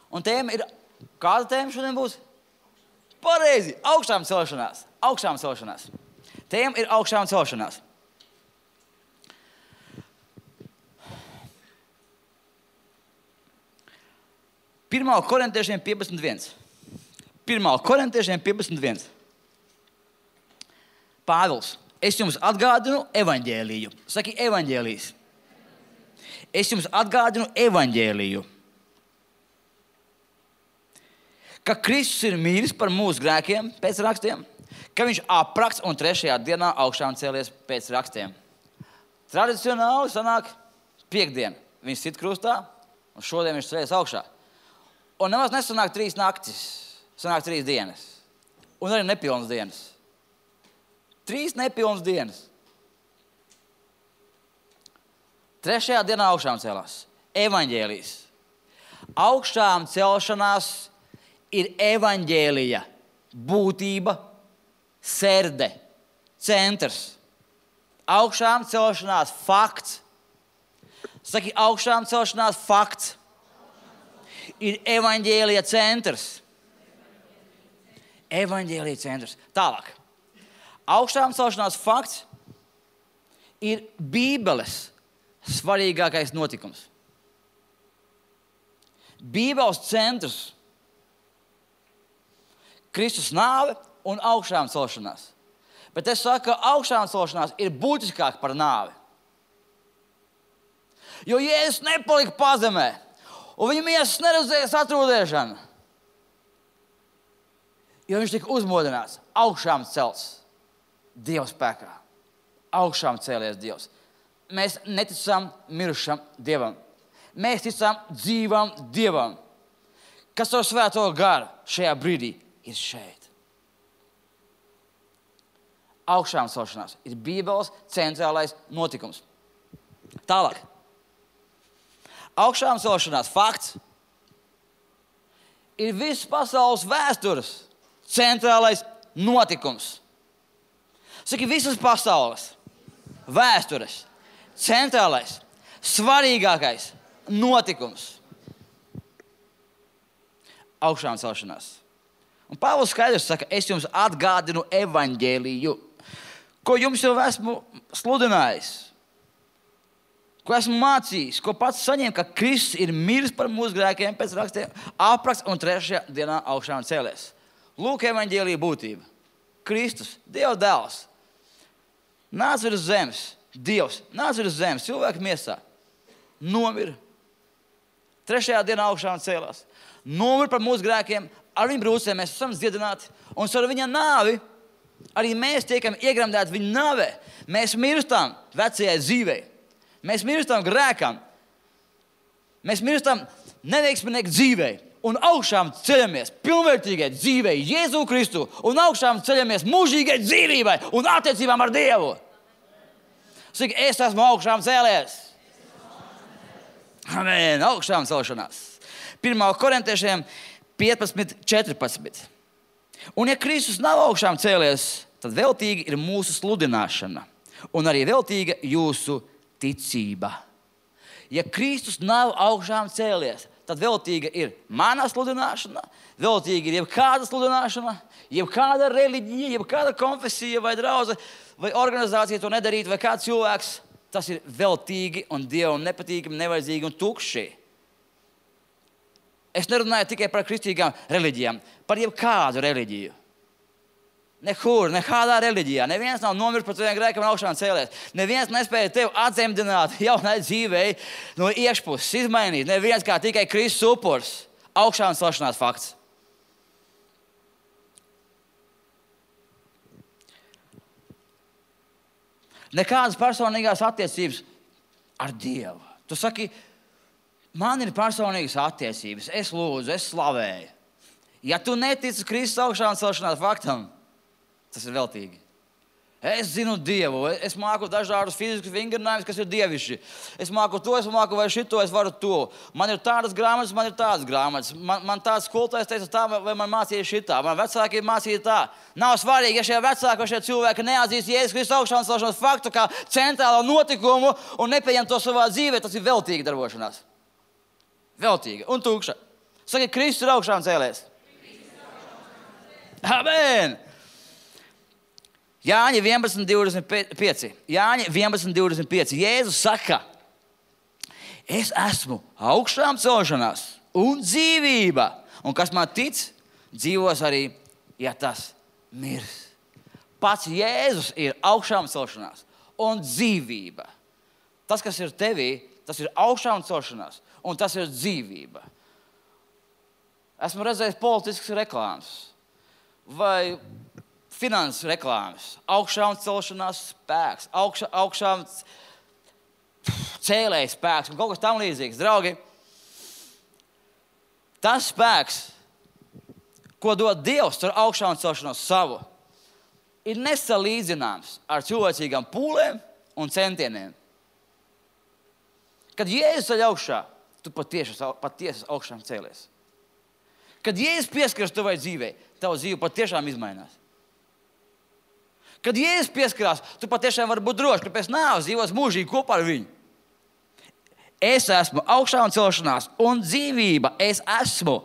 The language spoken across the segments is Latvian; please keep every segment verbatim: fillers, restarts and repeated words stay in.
Un tēma ir, kāda tēma šodien būs? Pareizi, augšām celšanās. Augšām celšanās. Tēma ir augšām celšanās. Pirmā korintiešiem piecpadsmit viens. Pirmā korintiešiem piecpadsmit viens. Pāvils, es jums atgādinu evaņģēliju. Saki evaņģēlijs. Es jums atgādinu evaņģēliju. Ka Kristus ir mīlis par mūsu grēkiem pēc rakstiem, ka viņš aprakts un trešajā dienā augšām cēlies pēc rakstiem. Tradicionāli sanāk piekdien. Viņš sit krustā un šodien viņš cēlies augšā. Un nemaz nesanāk trīs naktis, sanāk trīs dienas. Un arī nepilnas dienas. Trīs nepilnas dienas. Trešajā dienā augšām celās. Evaņģēlijs. Augšām celšanās ir evaņģēlija būtība, serde, centrs. Augšām celšanās fakts. Saki, augšām celšanās fakts. Ir evaņģēlija centrs. Evaņģēlija centrs. Tālāk. Augšām celšanās fakts ir Bībeles svarīgākais notikums. Bībeles centrs. Kristus nāve un augšām celšanās. Bet es saku, ka augšām celšanās ir būtiskāk par nāvi. Jo Jēzus nepalika pazemē, un viņa miesas neredzēja satrūdēšanu. Jo viņš tika uzmodināts, augšām celts Dieva spēkā. Augšām cēlies Dievs. Mēs neticam mirušam Dievam. Mēs ticam dzīvam Dievam, kas ar svēto garu šajā brīdī ir šeit. Augšām celšanās ir Bībeles centrālais notikums. Tālāk. Augšām celšanās fakts ir visas pasaules vēstures centrālais notikums. Saki, visas pasaules vēstures centrālais, svarīgākais notikums. Augšām celšanās. Un Pāvils skaidrs saka, es jums atgādinu evaņģēliju, ko jums jau esmu sludinājis, ko esmu mācījis, ko pats saņēmu, ka Kristus ir miris par mūsu grēkiem pēc rakstiem, apraksts un trešajā dienā augšām cēlies. Lūk, evaņģēlija būtība. Kristus, Dieva dēls, nāca virs zemes, Dievs, nāca virs zemes, cilvēka miesā, nomira, trešajā dienā augšām cēlās, nomira par mūsu grēkiem, ar viņu brūcēm mēs esam dziedināti, un ar viņa nāvi arī mēs tiekam iegremdēti viņa nāvē. Mēs mirstam vecajai dzīvei. Mēs mirstam grēkam. Mēs mirstam neveiksminieku dzīvei. Un augšām ceļamies pilnvērtīgai dzīvei Jēzu Kristu. Un augšām ceļamies mūžīgai dzīvībai un attiecībām ar Dievu. Saka, es esmu augšām cēlies. Amen. Augšām celšanās. Pirmā korintiešiem piecpadsmit četrpadsmit. Un ja Kristus nav augšām cēlies, tad veltīgi ir mūsu sludināšana un arī veltīga jūsu ticība. Ja Kristus nav augšām cēlies, tad veltīga ir mana sludināšana, veltīga ir jebkāda sludināšana, jebkāda reliģija, jebkāda konfesija vai draudze vai organizācija to nedarīt vai kāds cilvēks. Tas ir veltīgi un Dievam nepatīkami, nevajadzīgi un tukši. Es nerunāju tikai par kristīgām reliģijām, par jebkādu reliģiju. Nekur, nekādā reliģijā. Neviens nav nomiris par taviem grēkiem un augšām cēlies. Neviens nespēja tevi atzemdināt jaunai dzīvei no iekšpuses, izmainīt. Neviens kā tikai Kristus upuris. Augšām celšanās fakts. Nekādas personīgās attiecības ar Dievu. Tu saki, man ir personīgas attiecības, es lūdzu, es slavēju. Ja tu netici Kristus augšām celšanās faktam, tas ir veltīgi. Es zinu Dievu, es māku dažādus fiziskus vingrinājumus, kas ir dievišķi. Es māku to, es māku vai šito, es varu to. Man ir tādas grāmatas, man ir tādas grāmatas. Man, man tāds skolotājs teica tā, vai man mācīja šitā. Man vecāki mācīja tā. Nav svarīgi, ja šie vecāki vai šie cilvēki neatzīst Jēzus Kristus augšām celšanās faktu kā centrālo notikumu un nepieņem to savā dzīvē, tas ir veltīgi darbošanās. Veltīga un tukša. Saka, Kristus ir augšām cēlies. Amen! Jāņa vienpadsmit divdesmit pieci. Jāņa vienpadsmit divdesmit pieci. Jēzus saka, es esmu augšām celšanās un dzīvība. Un kas man tic, dzīvos arī, ja tas mirs. Pats Jēzus ir augšām celšanās un dzīvība. Tas, kas ir tevī, tas ir augšām celšanās un tas ir dzīvība. Esmu redzējis politiskas reklāmas vai finanses reklāmas. Augšām celšanās spēks, augšā, augšām cēlējas spēks un kaut kas tam līdzīgs. Draugi, tas spēks, ko dod Dievs ar augšām celšanos savu, ir nesalīdzināms ar cilvēcīgām pūlēm un centieniem. Kad Jēzus ceļ augšā, tu patiesi, patiesi augšām cēlies. Kad Jēzus pieskaras tavai dzīvei, tava dzīve patiešām izmainās. Kad Jēzus pieskarās, tu patiešām vari būt drošs, ka pēc nāves dzīvos mūžīgi kopā ar viņu. Es esmu augšām celšanās un dzīvība. Es esmu.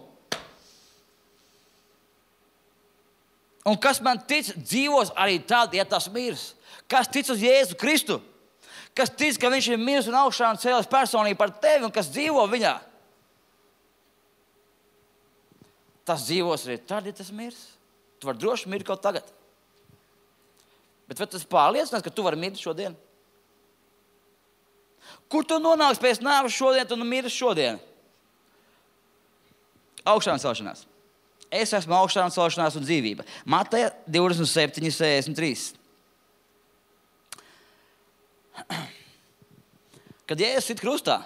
Un kas man tic, dzīvos arī tad, ja tas mirs. Kas tic uz Jēzu Kristu? Kas tic, ka viņš ir mirs un augšām cēlies personīgi par tevi un kas dzīvo viņā? Tas dzīvos arī tad, ja tas mirs. Tu vari droši mirt kaut tagad. Bet vai tas pārliecinās, ka tu vari mirt šodien? Kur tu nonāks pēc nāves šodien, tu mirs šodien? Augšām celšanās. Es esmu augšām celšanās un dzīvība. Mateja divdesmit septiņi sešdesmit trīs. Kad Jēzus sit krustā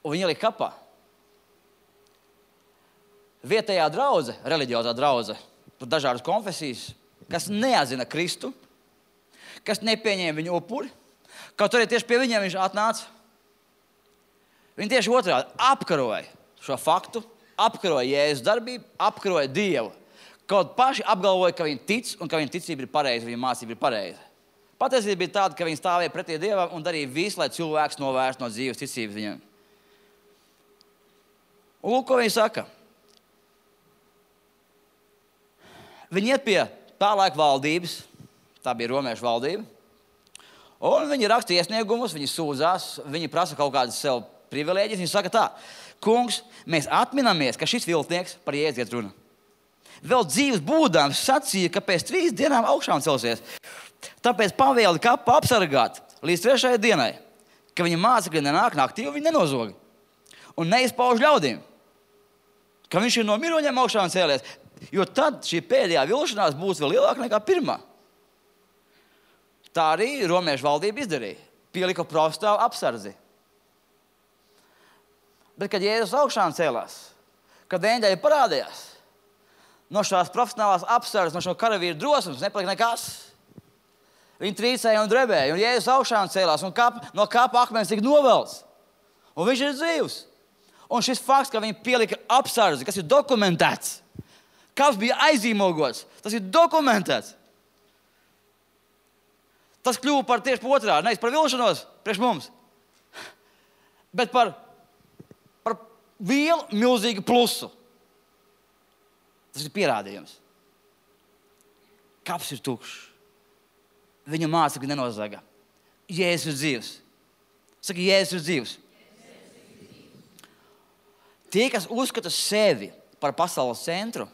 un viņu ielika kapā, vietējā draudze, reliģiozā draudze, tur dažādas konfesijas, kas neatzina Kristu, kas nepieņēma viņu upuri, kaut arī tieši pie viņiem viņš atnāca. Viņi tieši otrādi apkaroja šo faktu, apkaroja Jēzus darbību, apkaroja Dievu. Kaut paši apgalvoja, ka viņi tic un ka viņa ticība ir pareiza, viņa mācība ir pareiza. Patiesība bija tāda, ka viņi stāvēja pretī Dievam un darīja visu, lai cilvēks novērst no dzīves ticības viņam. Un lūk, ko viņi saka. Viņi iet pie tā laika valdības, tā bija romiešu valdība, un viņi raksta iesniegumus, viņi sūdzās, viņi prasa kaut kādas sev privilēģijas, viņi saka tā, kungs, mēs atminamies, ka šis viltnieks par Jēzu iet runa. Vēl dzīves būdams sacīja, ka pēc trīs dienām augšām celsies. Tāpēc pavēli kapu apsargāt līdz trešajai dienai, ka viņa mācekļi nenāk naktī, un viņi nenozoga. Un neizpauž ļaudīm, ka viņš ir no miroņiem augšām cēlies, jo tad šī pēdējā vilšanās būs vēl lielāka nekā pirmā. Tā arī romiešu valdība izdarīja. Pielika profesionālu apsardzi. Bet, kad Jēzus augšām cēlās, kad eņģeļi parādījās, no šās profesionālās apsardzes, no šo karavīru drosmes nepalika nekas. Viņi trīcēja un drebēja, un Jēzus augšām cēlās, un kap, no kapa akmens tika novelts. Un viņš ir dzīvs. Un šis fakts, ka viņi pielika apsardzi, kas ir dokumentēts, kaps bija aizīmogots, tas ir dokumentēts. Tas kļuva par tieši par otrādi, nevis par vilšanos priekš mums, bet par, par vielu milzīgu plusu. Tas ir pierādījums. Kaps ir tukšs. Viņu mācekļi nenozaga. Jēzus ir dzīvs. Saka, Jēzus ir dzīvs. Tie, kas uzskata sevi par pasaules centru,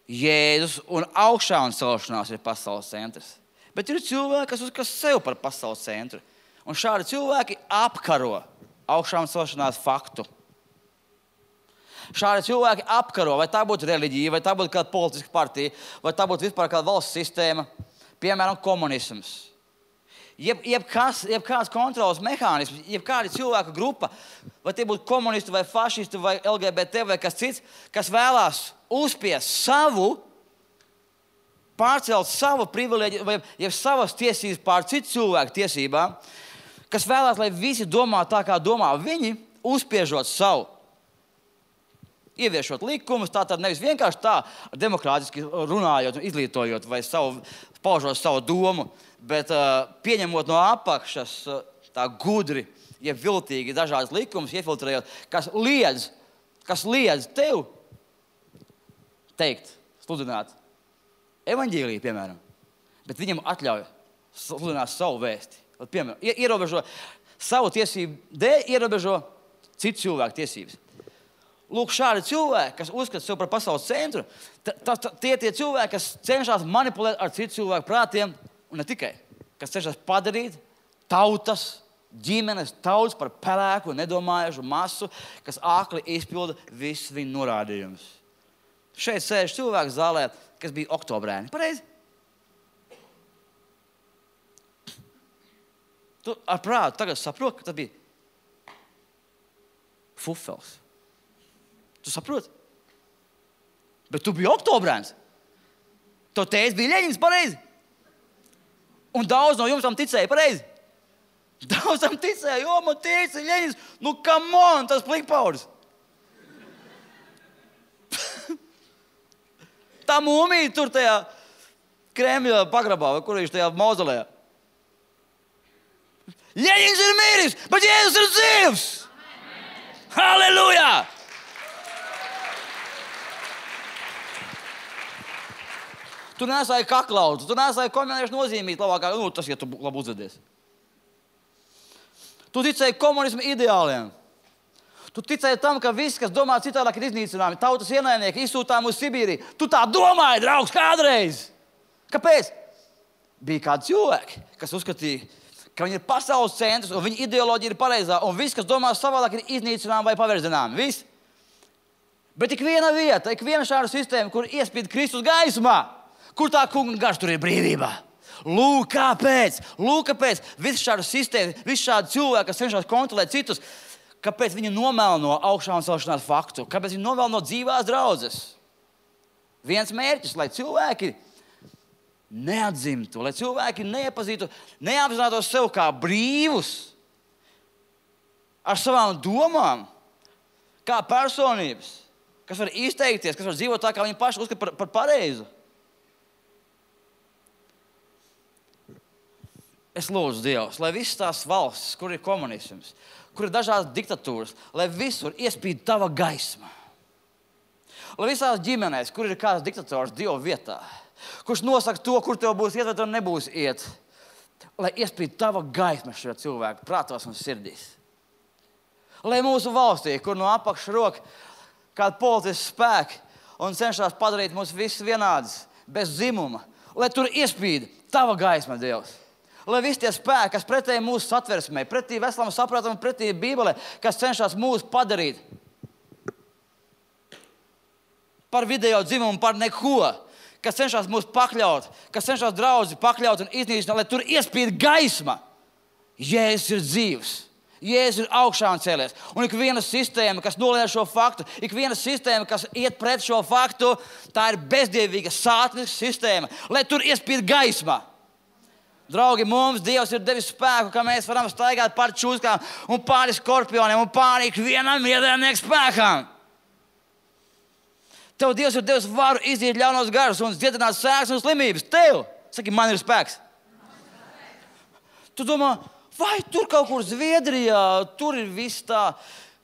Jēzus un augšām celšanās ir pasaules centrs. Bet ir cilvēki, kas uzskata sevi par pasaules centru. Un šādi cilvēki apkaro augšām celšanās faktu. Šādi cilvēki apkaro, vai tā būtu reliģija, vai tā būtu kāda politiska partija, vai tā būtu vispār kāda valsts sistēma, piemēram, komunisms. Jeb, jebkas, jebkāds kontrolas mehānisms, jebkāda cilvēku grupa, vai tie būtu komunisti, vai fašisti, vai L G B T, vai kas cits, kas vēlās uzspiest savu, pārcelt savu privilēģiju, vai jeb savas tiesības pār citu cilvēku tiesībām, kas vēlās, lai visi domā tā, kā domā viņi, uzspiežot savu. Ieviešot likumus, tā tad nevis vienkārši tā, demokrātiski runājot un izglītojot vai savu, paužot savu domu, bet uh, pieņemot no apakšas uh, tā gudri, jeb viltīgi dažādas likumus, iefiltrējot, kas liedz kas liedz tev teikt, sludināt evaņģēliju, piemēram, bet viņam atļauj sludināt savu vēsti. Piemēram, ierobežo savu tiesību dēļ, ierobežo citu cilvēku tiesības. Lūk, šādi cilvēki, kas uzskata sev par pasaules centru, ta, ta, ta, tie tie cilvēki, kas cenšas manipulēt ar citu cilvēku prātiem, un ne tikai, kas cenšas padarīt tautas, ģimenes, tautas par pelēku, nedomājušu masu, kas ākli izpilda visus viņu norādījumus. Šeit sēž cilvēks zālē, kas bija oktobrēni. Pareizi? Tu ar prātu tagad saproti, ka tas bija fufels. Tu saproti? Bet tu biji oktobrēns. To teicis bija Ļeņins, pareizi? Un daudz no jums tam ticēja, pareizi? Daudz tam ticēja, jo man teica Ļeņins, nu come on, tas plikpaudis. Tā mūmija tur tajā Kremļa pagrabā, vai kur viņš tajā mauzolejā. Ļeņins ir miris, bet Jēzus ir dzīvs! Halleluja! Tu nesāji kaklautu, tu nesāji komuniešu nozīmīt labākā, nu tas, ja tu labi uzvedies. Tu ticēji komunismu ideāliem. Tu ticēji tam, ka viss, kas domā citādāk, ir iznīcināmi. Tautas ienaidnieki izsūtām uz Sibīriju. Tu tā domāji, draugs, kādreiz. Kāpēc? Bija kādi cilvēki, kas uzskatīja, ka viņi ir pasaules centrs un viņa ideoloģija ir pareizā. Un viss, kas domā savādāk, ir iznīcināmi vai paverdzināmi. Viss. Bet ik viena vieta, ik viena šāda sistēma, kur iespīd Kristus gaismā, kur tā kunga garš, tur ir brīvība. Lūk, kāpēc? Lūk, kāpēc? Viss šāda sistēma, viss šādi cilvēki, kas cenšas kontrolēt citus, kāpēc viņi nomelno augšā un celšanās faktu? Kāpēc viņi nomelno dzīvās draudzes? Viens mērķis, lai cilvēki neatzimtu, lai cilvēki neiepazītu, neapzinātos sev kā brīvus, ar savām domām, kā personības, kas var izteikties, kas var dzīvot tā, kā viņi paši uzskata par, par pareizu. Es lūdzu Dievs, lai visas tās valstis, kur ir komunisms, kur ir dažādas diktatūras, lai visur iespīd tava gaisma. Lai visās ģimenēs, kur ir kāds diktators Dieva vietā, kurš nosaka to, kur tev būs iet vai tev nebūs iet, lai iespīd tava gaisma šajā cilvēku prātos un sirdīs. Lai mūsu valstī, kur no apakšas roka kāda politiska spēka un cenšas padarīt mūs visus vienādus, bez dzimuma, lai tur iespīd tava gaisma, Dievs. Lai visi tie spēki, kas pretēji mūsu satversmei, pretī veselam saprātam, pretī Bībelē, kas cenšas mūs padarīt par video dzimumu, par neko, kas cenšas mūs pakļaut, kas cenšas draudzi pakļaut un iznīcināt, lai tur iespīd gaisma. Jēzus ir dzīvs. Jēzus ir augšā un cēlies. Un ik viena sistēma, kas noliedz šo faktu, ik viena sistēma, kas iet pret šo faktu, tā ir bezdievīga, sātaniska sistēma, lai tur iespīd gaisma. Draugi, mums Dievs ir devis spēku, ka mēs varam staigāt pāri čūskām un pāri skorpioniem un pāri ikvienam ienaidnieku spēkam. Tev Dievs ir devis varu iziet ļaunos garus un dziedināt sēklas un slimības. Tev, saki, man ir spēks. Tu domā, vai tur kaut kur Zviedrijā, tur ir viss tā,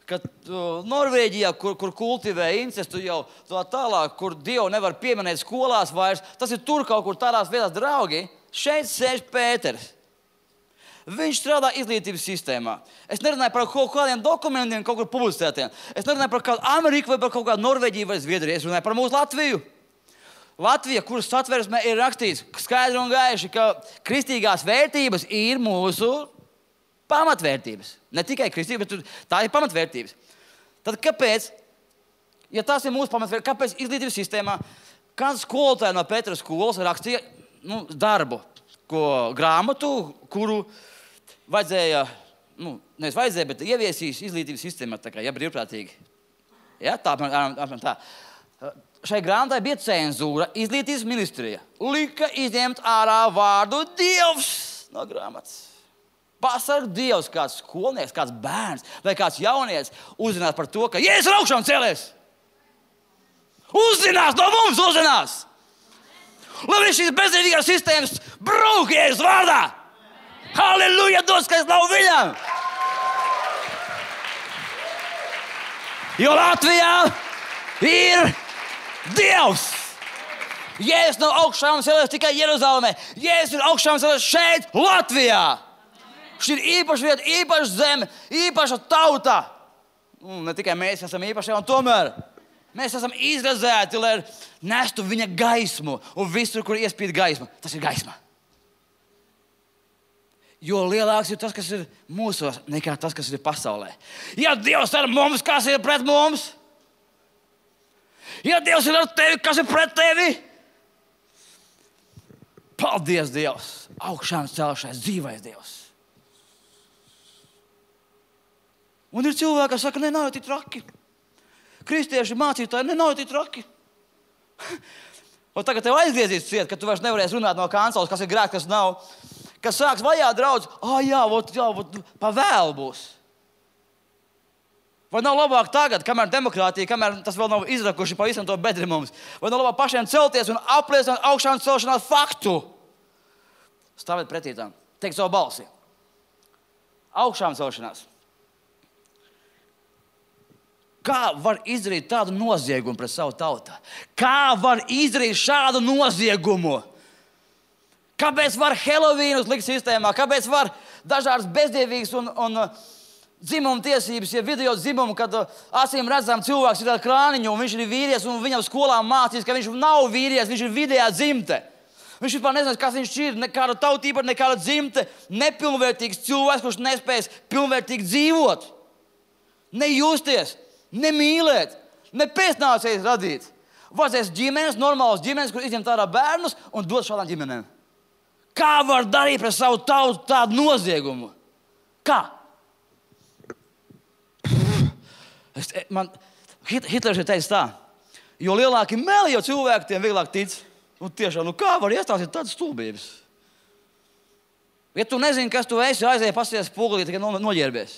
ka uh, Norvēģijā, kur, kur kultivē incestu jau tā tālāk, kur Dievu nevar pieminēt skolās vairs, tas ir tur kaut kur tādās vietās, draugi. Šeit sēž Pēters. Viņš strādā izglītības sistēmā. Es nerunāju par kaut kādiem dokumentiem, kaut kur publicētiem. Es nerunāju par kādu Ameriku vai par kaut kādu Norvēģiju vai Zviedriju. Es runāju par mūsu Latviju. Latvija, kuras satversmē ir rakstīts skaidri un gaiši, ka kristīgās vērtības ir mūsu pamatvērtības. Ne tikai kristības, bet tā ir pamatvērtības. Tad kāpēc, ja tās ir mūsu pamatvērtības, kāpēc izglītības sistēmā kāds skolotāji no Pētera skolas rakstīja nu, darbu, ko grāmatu, kuru vajadzēja, nu, nevis vajadzēja, bet ieviesīs izglītības sistēmā, tā kā, ja brīvprātīgi. Ja, tā, apmēram tā. Šai grāmatai bija cenzūra, izglītības ministrija. Lika izņemt ārā vārdu Dievs no grāmatas. Pasarg Dievs, kāds skolnieks, kāds bērns vai kāds jaunietis uzzinās par to, ka Jēzus ir augšā un cēlies. Uzzinās, no mums uzzinās. Lai viņš šīs bezdievīgās sistēmas brūk Jēzus vārdā. Halleluja, dos, ka es nav viņam. Jo Latvijā ir Dievs. Jēzus nav augšām celēs tikai Jeruzalemē. Jēzus ir augšām celēs šeit, Latvijā. Šī ir īpaša vieta, īpaša zeme, īpaša tauta. Un ne tikai mēs esam īpaši, un tomēr mēs esam izrazēti, lai nestu viņa gaismu. Un visur, kur iespīd gaisma, tas ir gaisma. Jo lielāks ir tas, kas ir mūsos, nekā tas, kas ir pasaulē. Ja Dievs ar mums, kas ir pret mums? Ja Dievs ir ar tevi, kas ir pret tevi? Paldies, Dievs! Augšām celšais, dzīvais Dievs! Un ir cilvēki, kas saka, ne, nav tik traki. Kristieši mācītāji, ne, nav tik traki. Un tagad tev aizgriezīs ciet, ka tu vairs nevarēsi runāt no kanceles, kas ir grēks, kas nav. Kas sāks vajāt draudz, ah, jā, vot, jā, vot, pa vēl būs. Vai nav labāk tagad, kamēr demokrātija, kamēr tas vēl nav izrakuši pa visam to bedri mums? Vai nav labāk pašiem celties un apliecināt augšām celšanās faktu? Stāvēt pretī tam, teikt savu balsi. Augšām celšanās. Kā var izdarīt tādu noziegumu pret savu tautu? Kā var izdarīt šādu noziegumu? Kāpēc var Helovīnus likt sistēmā? Kāpēc var dažādas bezdievīgas un, un dzimuma tiesības, ja video dzimumu, kad acīm redzam cilvēks ir ar krāniņu un viņš ir vīrietis un viņam skolā mācīs, ka viņš nav vīrietis, viņš ir vidējā dzimte. Viņš vispār nezina, kas viņš ir, nekāda tautība, nekāda dzimte, nepilnvērtīgs cilvēks, kurš nespējas pilnvērtīgi dzīvot, nejusties, nemīlēt, ne pēcnācējs radīt. Vajadzēs ģimenes, normālas ģimenes, kur izņemt ārā bērnus un dot šādām ģimenēm. Kā var darīt pret savu tautu tādu noziegumu? Kā? Es, man, Hitlers ir teicis tā, jo lielāki meli, jo cilvēki tiem vieglāk tic. Un tiešām, nu kā var iestāstīt tādas stulbības? Ja tu nezini, kas tu esi, aizēji pasies spogulī, tikai no, noģērbies.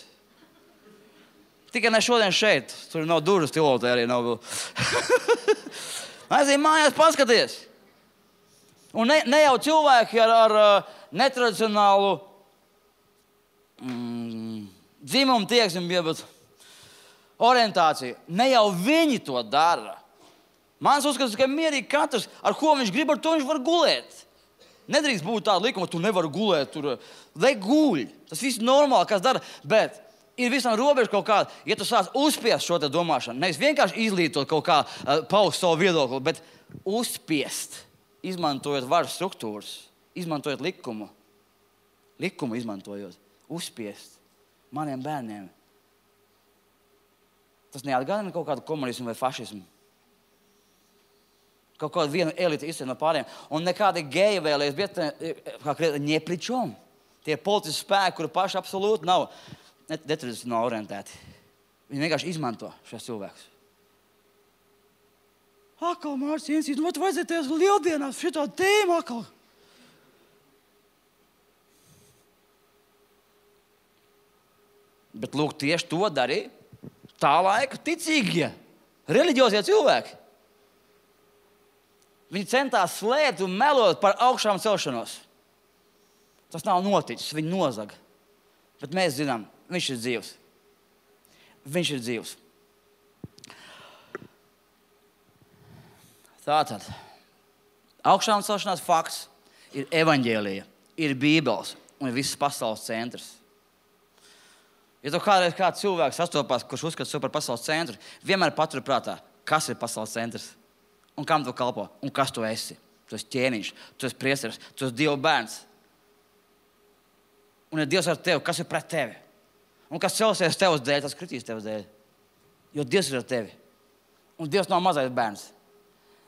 Tikai ne šodien šeit, tur nav durvis, tilotē arī nav vēl. Aizēji mājās paskaties. Un ne, ne jau cilvēki ar, ar netradicionālu mm, dzimumu tieksmi, bet orientāciju. Ne jau viņi to dara. Mans uzskats, ka mierīgi katrs, ar ko viņš grib, ar to viņš var gulēt. Nedrīkst būt tāda likuma, tu nevari gulēt tur. Lai guļ. Tas viss normāli, kas dara, bet ir visam robeža kaut kāda. Ja tu sāc uzspiest šo te domāšanu, nevis vienkārši izlītot kaut kā, paust savu viedokli, bet uzspiest. Izmantojot varas struktūras, izmantojot likumu, likumu izmantojot, uzspiest maniem bērniem. Tas neatgādina kaut kādu komunismu vai fašismu. Kaut kādu vienu elitu izcēl no pāriem. Un nekādi geji vēlēs, bet kā kriet, ņepličom. Tie politiski spēki, kuri paši absolūti nav netradicionāli orientēti. Viņi vienkārši izmanto šos cilvēkus. Akal, Mārcis, nu, vajadzēties lieldienās šitā tēma, akal. Bet, lūk, tieši to darīja tā laika ticīgie, reliģiozie cilvēki. Viņi centās slēpt un melot par augšām celšanos. Tas nav noticis, viņi nozaga. Bet mēs zinām, viņš ir dzīvs. Viņš ir dzīvs. Tātad, augšām celšanās fakts ir evaņģēlija, ir Bībeles un ir visas pasaules centrs. Ja tu kādreiz kāds cilvēks sastopās, kurš uzskata sev par pasaules centru, vienmēr paturi prātā, kas ir pasaules centrs un kam tu kalpo un kas tu esi. Tu esi ķēniņš, tu esi priesteris, tu esi Dieva bērns. Un ja Dievs ar tevi, kas ir pret tevi? Un kas celsies tevs dēļ, tas kritīs tevs dēļ. Jo Dievs ir ar tevi. Un Dievs nav mazais bērns.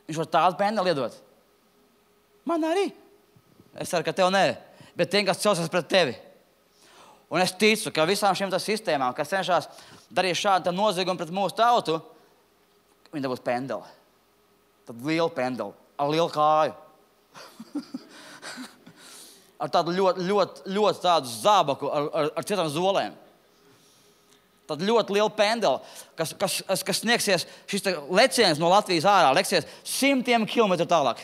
Viņš var tādu pendeli iedot. Man arī. Es ceru, ka tev nē. Bet tiem, kas celsies pret tevi. Un es ticu, ka visām šīm sistēmām, kas cenšas darīt šādu noziegumu pret mūsu tautu, viņi dabūs pendeli. Tad lielu pendeli. Ar lielu kāju. Ar tādu ļoti, ļoti, ļoti tādu zābaku, ar, ar, ar citām zolēm. Tad ļoti liela pendela, kas, kas, kas sniegsies, šis leciens no Latvijas ārā, leksies simtiem kilometru tālāk.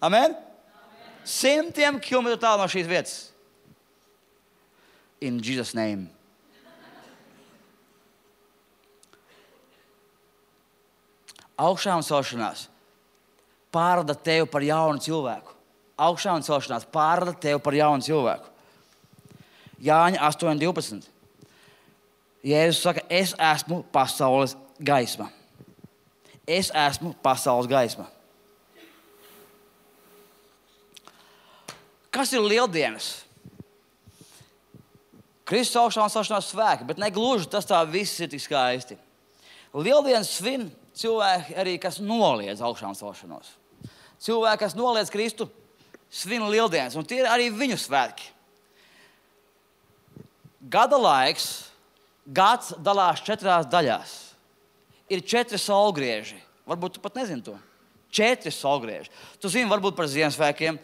Amen? Amen. Simtiem kilometru tālāk no šīs vietas. In Jesus' name. Augšā un celšanās pārrada tevi par jaunu cilvēku. Augšā un celšanās pārrada tevi par jaunu cilvēku. Jāņa astoņi divpadsmit. Jēzus saka, es esmu pasaules gaisma. Es esmu pasaules gaisma. Kas ir lieldienas? Kristus augšā un celšanās svēki, bet ne gluži tas tā viss ir tik skaisti. Lieldienas svin cilvēki arī, kas noliedz augšā un celšanos. Cilvēki, kas noliedz Kristu, svin lieldienas, un tie ir arī viņu svētki. Gada laiks, gads dalās četrās daļās. Ir četri saulgrieži. Varbūt tu pat nezini to. Četri saulgrieži. Tu zini varbūt par Ziemassvētkiem,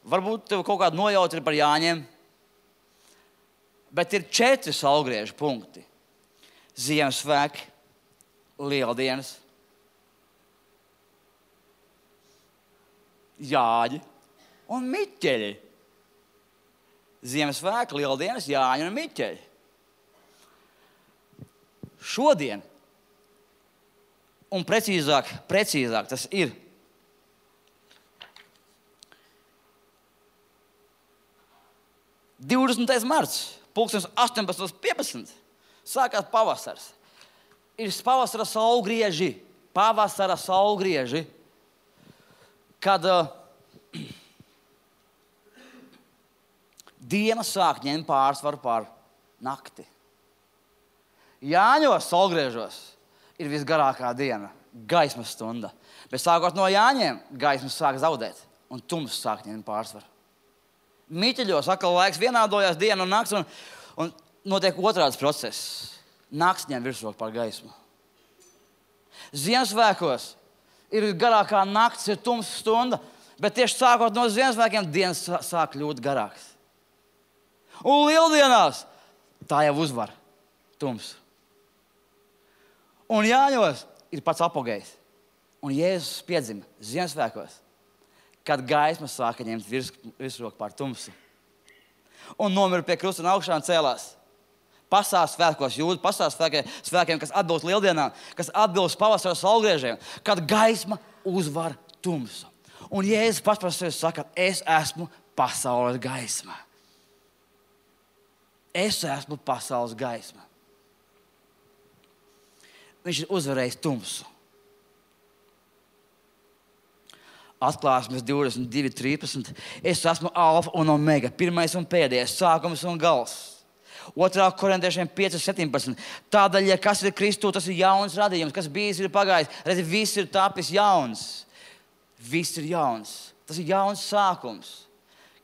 varbūt tev kaut kāda nojauta ir par Jāņiem. Bet ir četri saulgriežu punkti. Ziemassvētki, lieldienas, Jāņi un Miķeļi. Ziemassvētki, lieldienas, Jāņi un Miķeļi. Šodien, un precīzāk, precīzāk tas ir divdesmitais marts, pulkstens astoņpadsmit piecpadsmit, sākās pavasars. Ir pavasara saulgrieži, pavasara saulgrieži, kad uh, diena sāk ņemt pārsvaru pār nakti. Jāņos saulgriežos ir visgarākā diena, gaismas stunda. Bet sākot no Jāņiem, gaismas sāk zaudēt un tums sāk ņemt pārsvaru. Miķeļos atkal laiks vienādojās diena un nakts, un, un notiek otrāds process. Nakts ņem virsroku pār gaismu. Ziemassvētkos ir garākā nakts, ir tums stunda, bet tieši sākot no Ziemassvētkiem dienas sāk kļūt garāks. Un lieldienās tā jau uzvar tums. Un Jāņos ir pats apogejs. Un Jēzus piedzima Ziemassvētkos, kad gaisma sāka ņemt virs, virsroku pār tumsu. Un nomira pie krusta un augšā un cēlās. Pasās svētkos jūdu, pasās svētkiem, kas atbilst lieldienām, kas atbilst pavasara saulgriežiem, kad gaisma uzvar tumsu. Un Jēzus pats par sevi saka, es esmu pasaules gaisma. Es esmu pasaules gaisma. Viņš ir uzvarējis tumsu. Atklāsmes divdesmit divi trīspadsmit. Es esmu alfa un omega, pirmais un pēdējais, sākums un gals. Otrā korintiešiem pieci septiņpadsmit. Tādēļ, ja kas ir Kristū, tas ir jauns radījums, kas bijis ir pagājis. Redzi, viss ir tapis jauns. Viss ir jauns. Tas ir jauns sākums.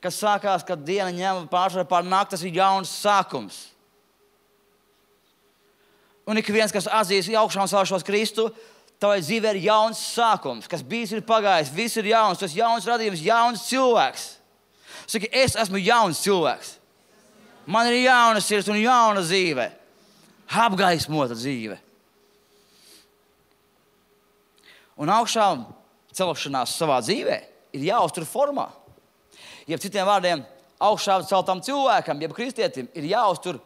Kas sākās, kad diena ņem pārsvaru pār nakti, tas ir jauns sākums. Un ik viens, kas atzīs augšā un celšos Kristu, tavai dzīvē ir jauns sākums, kas bijis ir pagājis, viss ir jauns, tas jauns radījums, jauns cilvēks. Saki, es esmu jauns cilvēks. Man ir jauna sirds un jauna dzīve. Apgaismota dzīve. Un augšā celšanās savā dzīvē ir jāuztur formā. Jeb citiem vārdiem, augšā celtam cilvēkam, jeb kristietim, ir jāuztur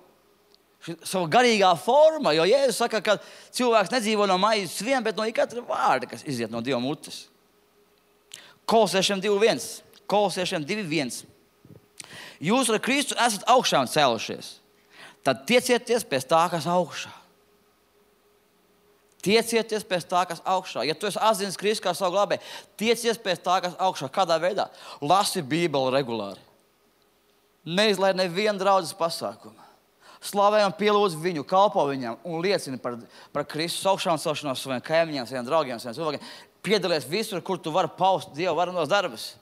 savu garīgā forma, jo Jēzus saka, ka cilvēks nedzīvo no maizes vien, bet no ikatra vārda, kas iziet no Dieva mutes. Kolosiešiem divi viens. Kolosiešiem divi viens. Jūs ar Kristu esat augšā un cēlušies. Tad tiecieties pēc tā, kas augšā. Tiecieties pēc tā, kas augšā. Ja tu esi atzinis Kristu kā savu glābēju, tiecies pēc tā, kas augšā. Kādā veidā? Lasi Bībeli regulāri. Neizlaid nevienu draudzes pasākumu. Slavē un pielūdz viņu, kalpo viņam un liecini par, par Kristus augšā un celšanos saviem kaimiņiem, saviem draugiem, saviem cilvēkiem. Piedalies visur, kur tu vari paust Dievu varenos darbus.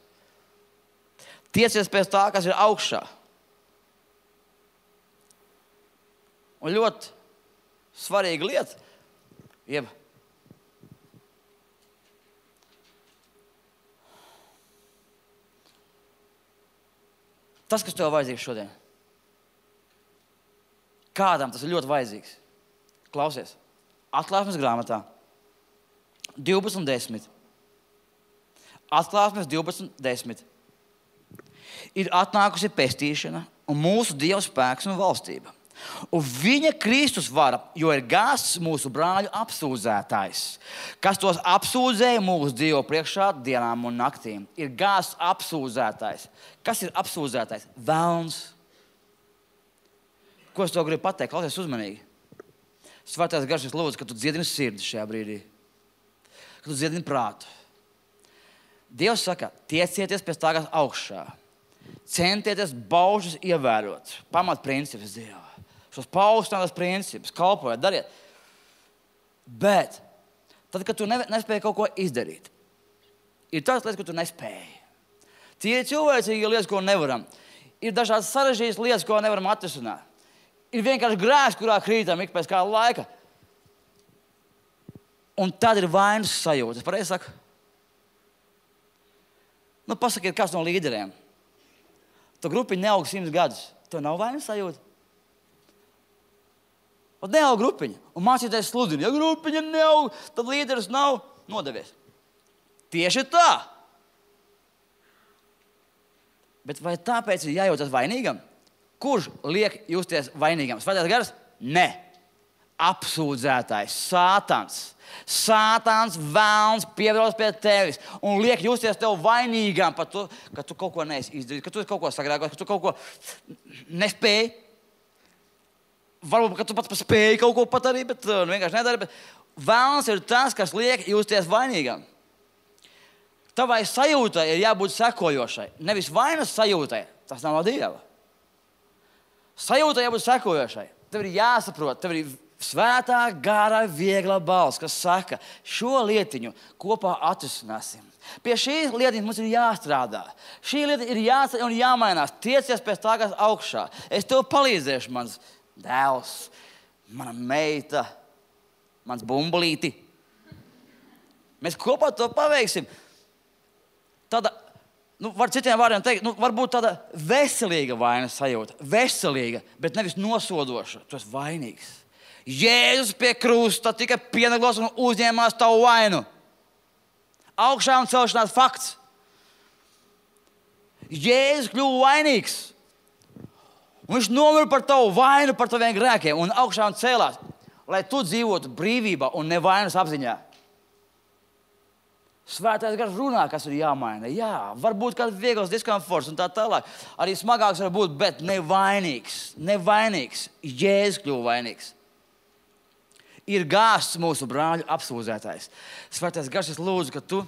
Tiecies pēc tā, kas ir augšā. Un ļoti svarīga lieta, jeb tas, kas tev vajadzīgs šodien. Kādam tas ir ļoti vajadzīgs. Klausies, Atklāsmes grāmatā divpadsmit desmit. Atklāsmes divpadsmit desmit. Ir atnākusi pestīšana un mūsu Dieva spēks un valstība. Un viņa Kristus vara, jo ir gāzts mūsu brāļu apsūdzētājs, kas tos apsūdzēja mūsu Dievu priekšā dienām un naktīm. Ir gāzts apsūdzētājs. Kas ir apsūdzētājs? Velns. Ko es to gribu pateikt? Klausies uzmanīgi. Svētais Gars, es lūdzu, ka tu dziedini sirdi šajā brīdī. Ka tu dziedini prātu. Dievs saka, tiecieties pēc tā, kas augšā. Centieties baušas ievērot. Pamat principus Dieva. Šos paaugstinās principus, kalpojiet, dariet. Bet, tad, kad tu ne, nespēji kaut ko izdarīt, ir tādas lietas, ko tu nespēji. Tie ir cilvēcīgi lietas, ko nevaram. Ir dažādas sarežģītas lietas, ko nevaram atrisināt. Ir vienkārši grēks, kurā krītam ik pēc kāda laika. Un tad ir vainas sajūta. Es pareizi saku? Nu, pasakiet, kāds no līderiem. Tu grupiņa neaug simts gadus. Tev nav vainas sajūta? Un neaug grupiņa. Un mācītājs sludina. Ja grupiņa neaug, tad līderis nav nodevies. Tieši tā. Bet vai tāpēc ir jājūtas vainīgam? Kurš liek justies vainīgam? Svētais Gars? Ne. Apsūdzētājs. Sātans. Sātans, velns pievēlas pie tevis un liek justies tev vainīgam par to, ka tu kaut ko neesi izdarījis, ka tu kaut ko sagrēkos, ka tu kaut ko nespēji. Varbūt, ka tu pats spēji kaut ko pat arī, bet uh, vienkārši nedari. Bet velns ir tas, kas liek justies vainīgam. Tavai sajūtai ir jābūt sekojošai. Nevis vainas sajūtai. Tas nav no Dieva. Sajūtai jābūt sekojošai. Tev ir jāsaprot, tev ir svētā, gara, viegla balss, kas saka, šo lietiņu kopā atrisināsim. Pie šīs lietiņas mums ir jāstrādā. Šī lieta ir jāceļ un jāmainās. Tiecies pēc tā, kas augšā. Es tev palīdzēšu, mans dēls, mana meita, mans bumbulīti. Mēs kopā to paveiksim. Tāda, nu, var citiem vārdiem teikt, nu, varbūt tāda veselīga vainas sajūta. Veselīga, bet nevis nosodoša. Tu esi vainīgs. Jēzus pie krusta tika pienaglos un uzņēmās tavu vainu. Augšā un celšanās fakts. Jēzus kļuva vainīgs. Un viņš nomira par tavu vainu, par taviem grēkiem un augšā un cēlās, lai tu dzīvotu brīvībā un nevainas apziņā. Svētais Gars runā, kas ir jāmaina. Jā, varbūt kāds viegls diskomforts un tā tālāk. Arī smagāks var būt, bet nevainīgs. Nevainīgs. Jēzus kļuva vainīgs. Ir gāzts mūsu brāļu apsūdzētājs. Svētais Gars, es lūdzu, ka tu...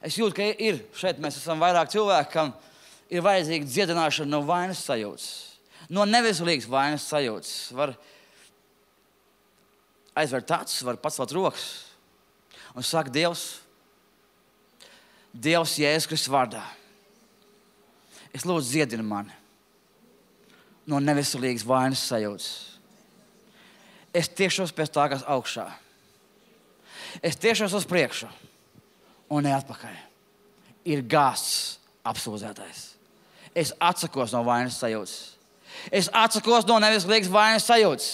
Es jūtu, ka ir šeit mēs esam vairāk cilvēki, kam ir vajadzīga dziedināšana no vainas sajūtas. No neveselīgas vainas sajūtas. Var aizvērt acis, var pacelt rokas. Un saka, Dievs, Dievs Jēzus Kristus vārdā. Es lūdzu dziedini mani no neveselīgas vainas sajūtas. Es tiešos pēc tā, kas augšā. Es tiešos uz priekšu un ne atpakaļ. Ir gāzts apsūdzētais. Es atsakos no vainas sajūtas. Es atsakos no neveselīgas vainas sajūtas.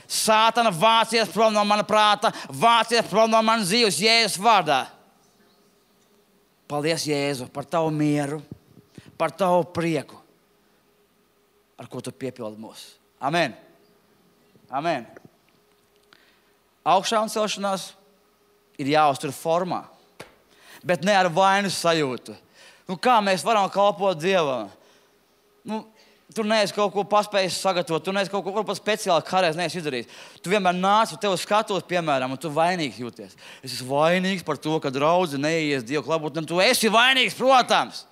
Sātana, vācies prom no mana prāta, vācies prom no manas dzīves Jēzus vārdā. Paldies, Jēzu, par tavu mieru, par tavu prieku, ar ko tu piepildi mūs. Amen. Amen. Augšā un celšanās ir jāuztur formā, bet ne ar vainas sajūtu. Nu, kā mēs varam kalpot Dievam? Nu, tu neesi kaut ko paspējis sagatavot, tu neesi kaut ko varbūt speciāli kādreiz neesi izdarījis. Tu vienmēr nāc un tev skatos, piemēram, un tu vainīgs jūties. Es esmu vainīgs par to, ka draudze neies Dievu klabot, un tu esi vainīgs, protams.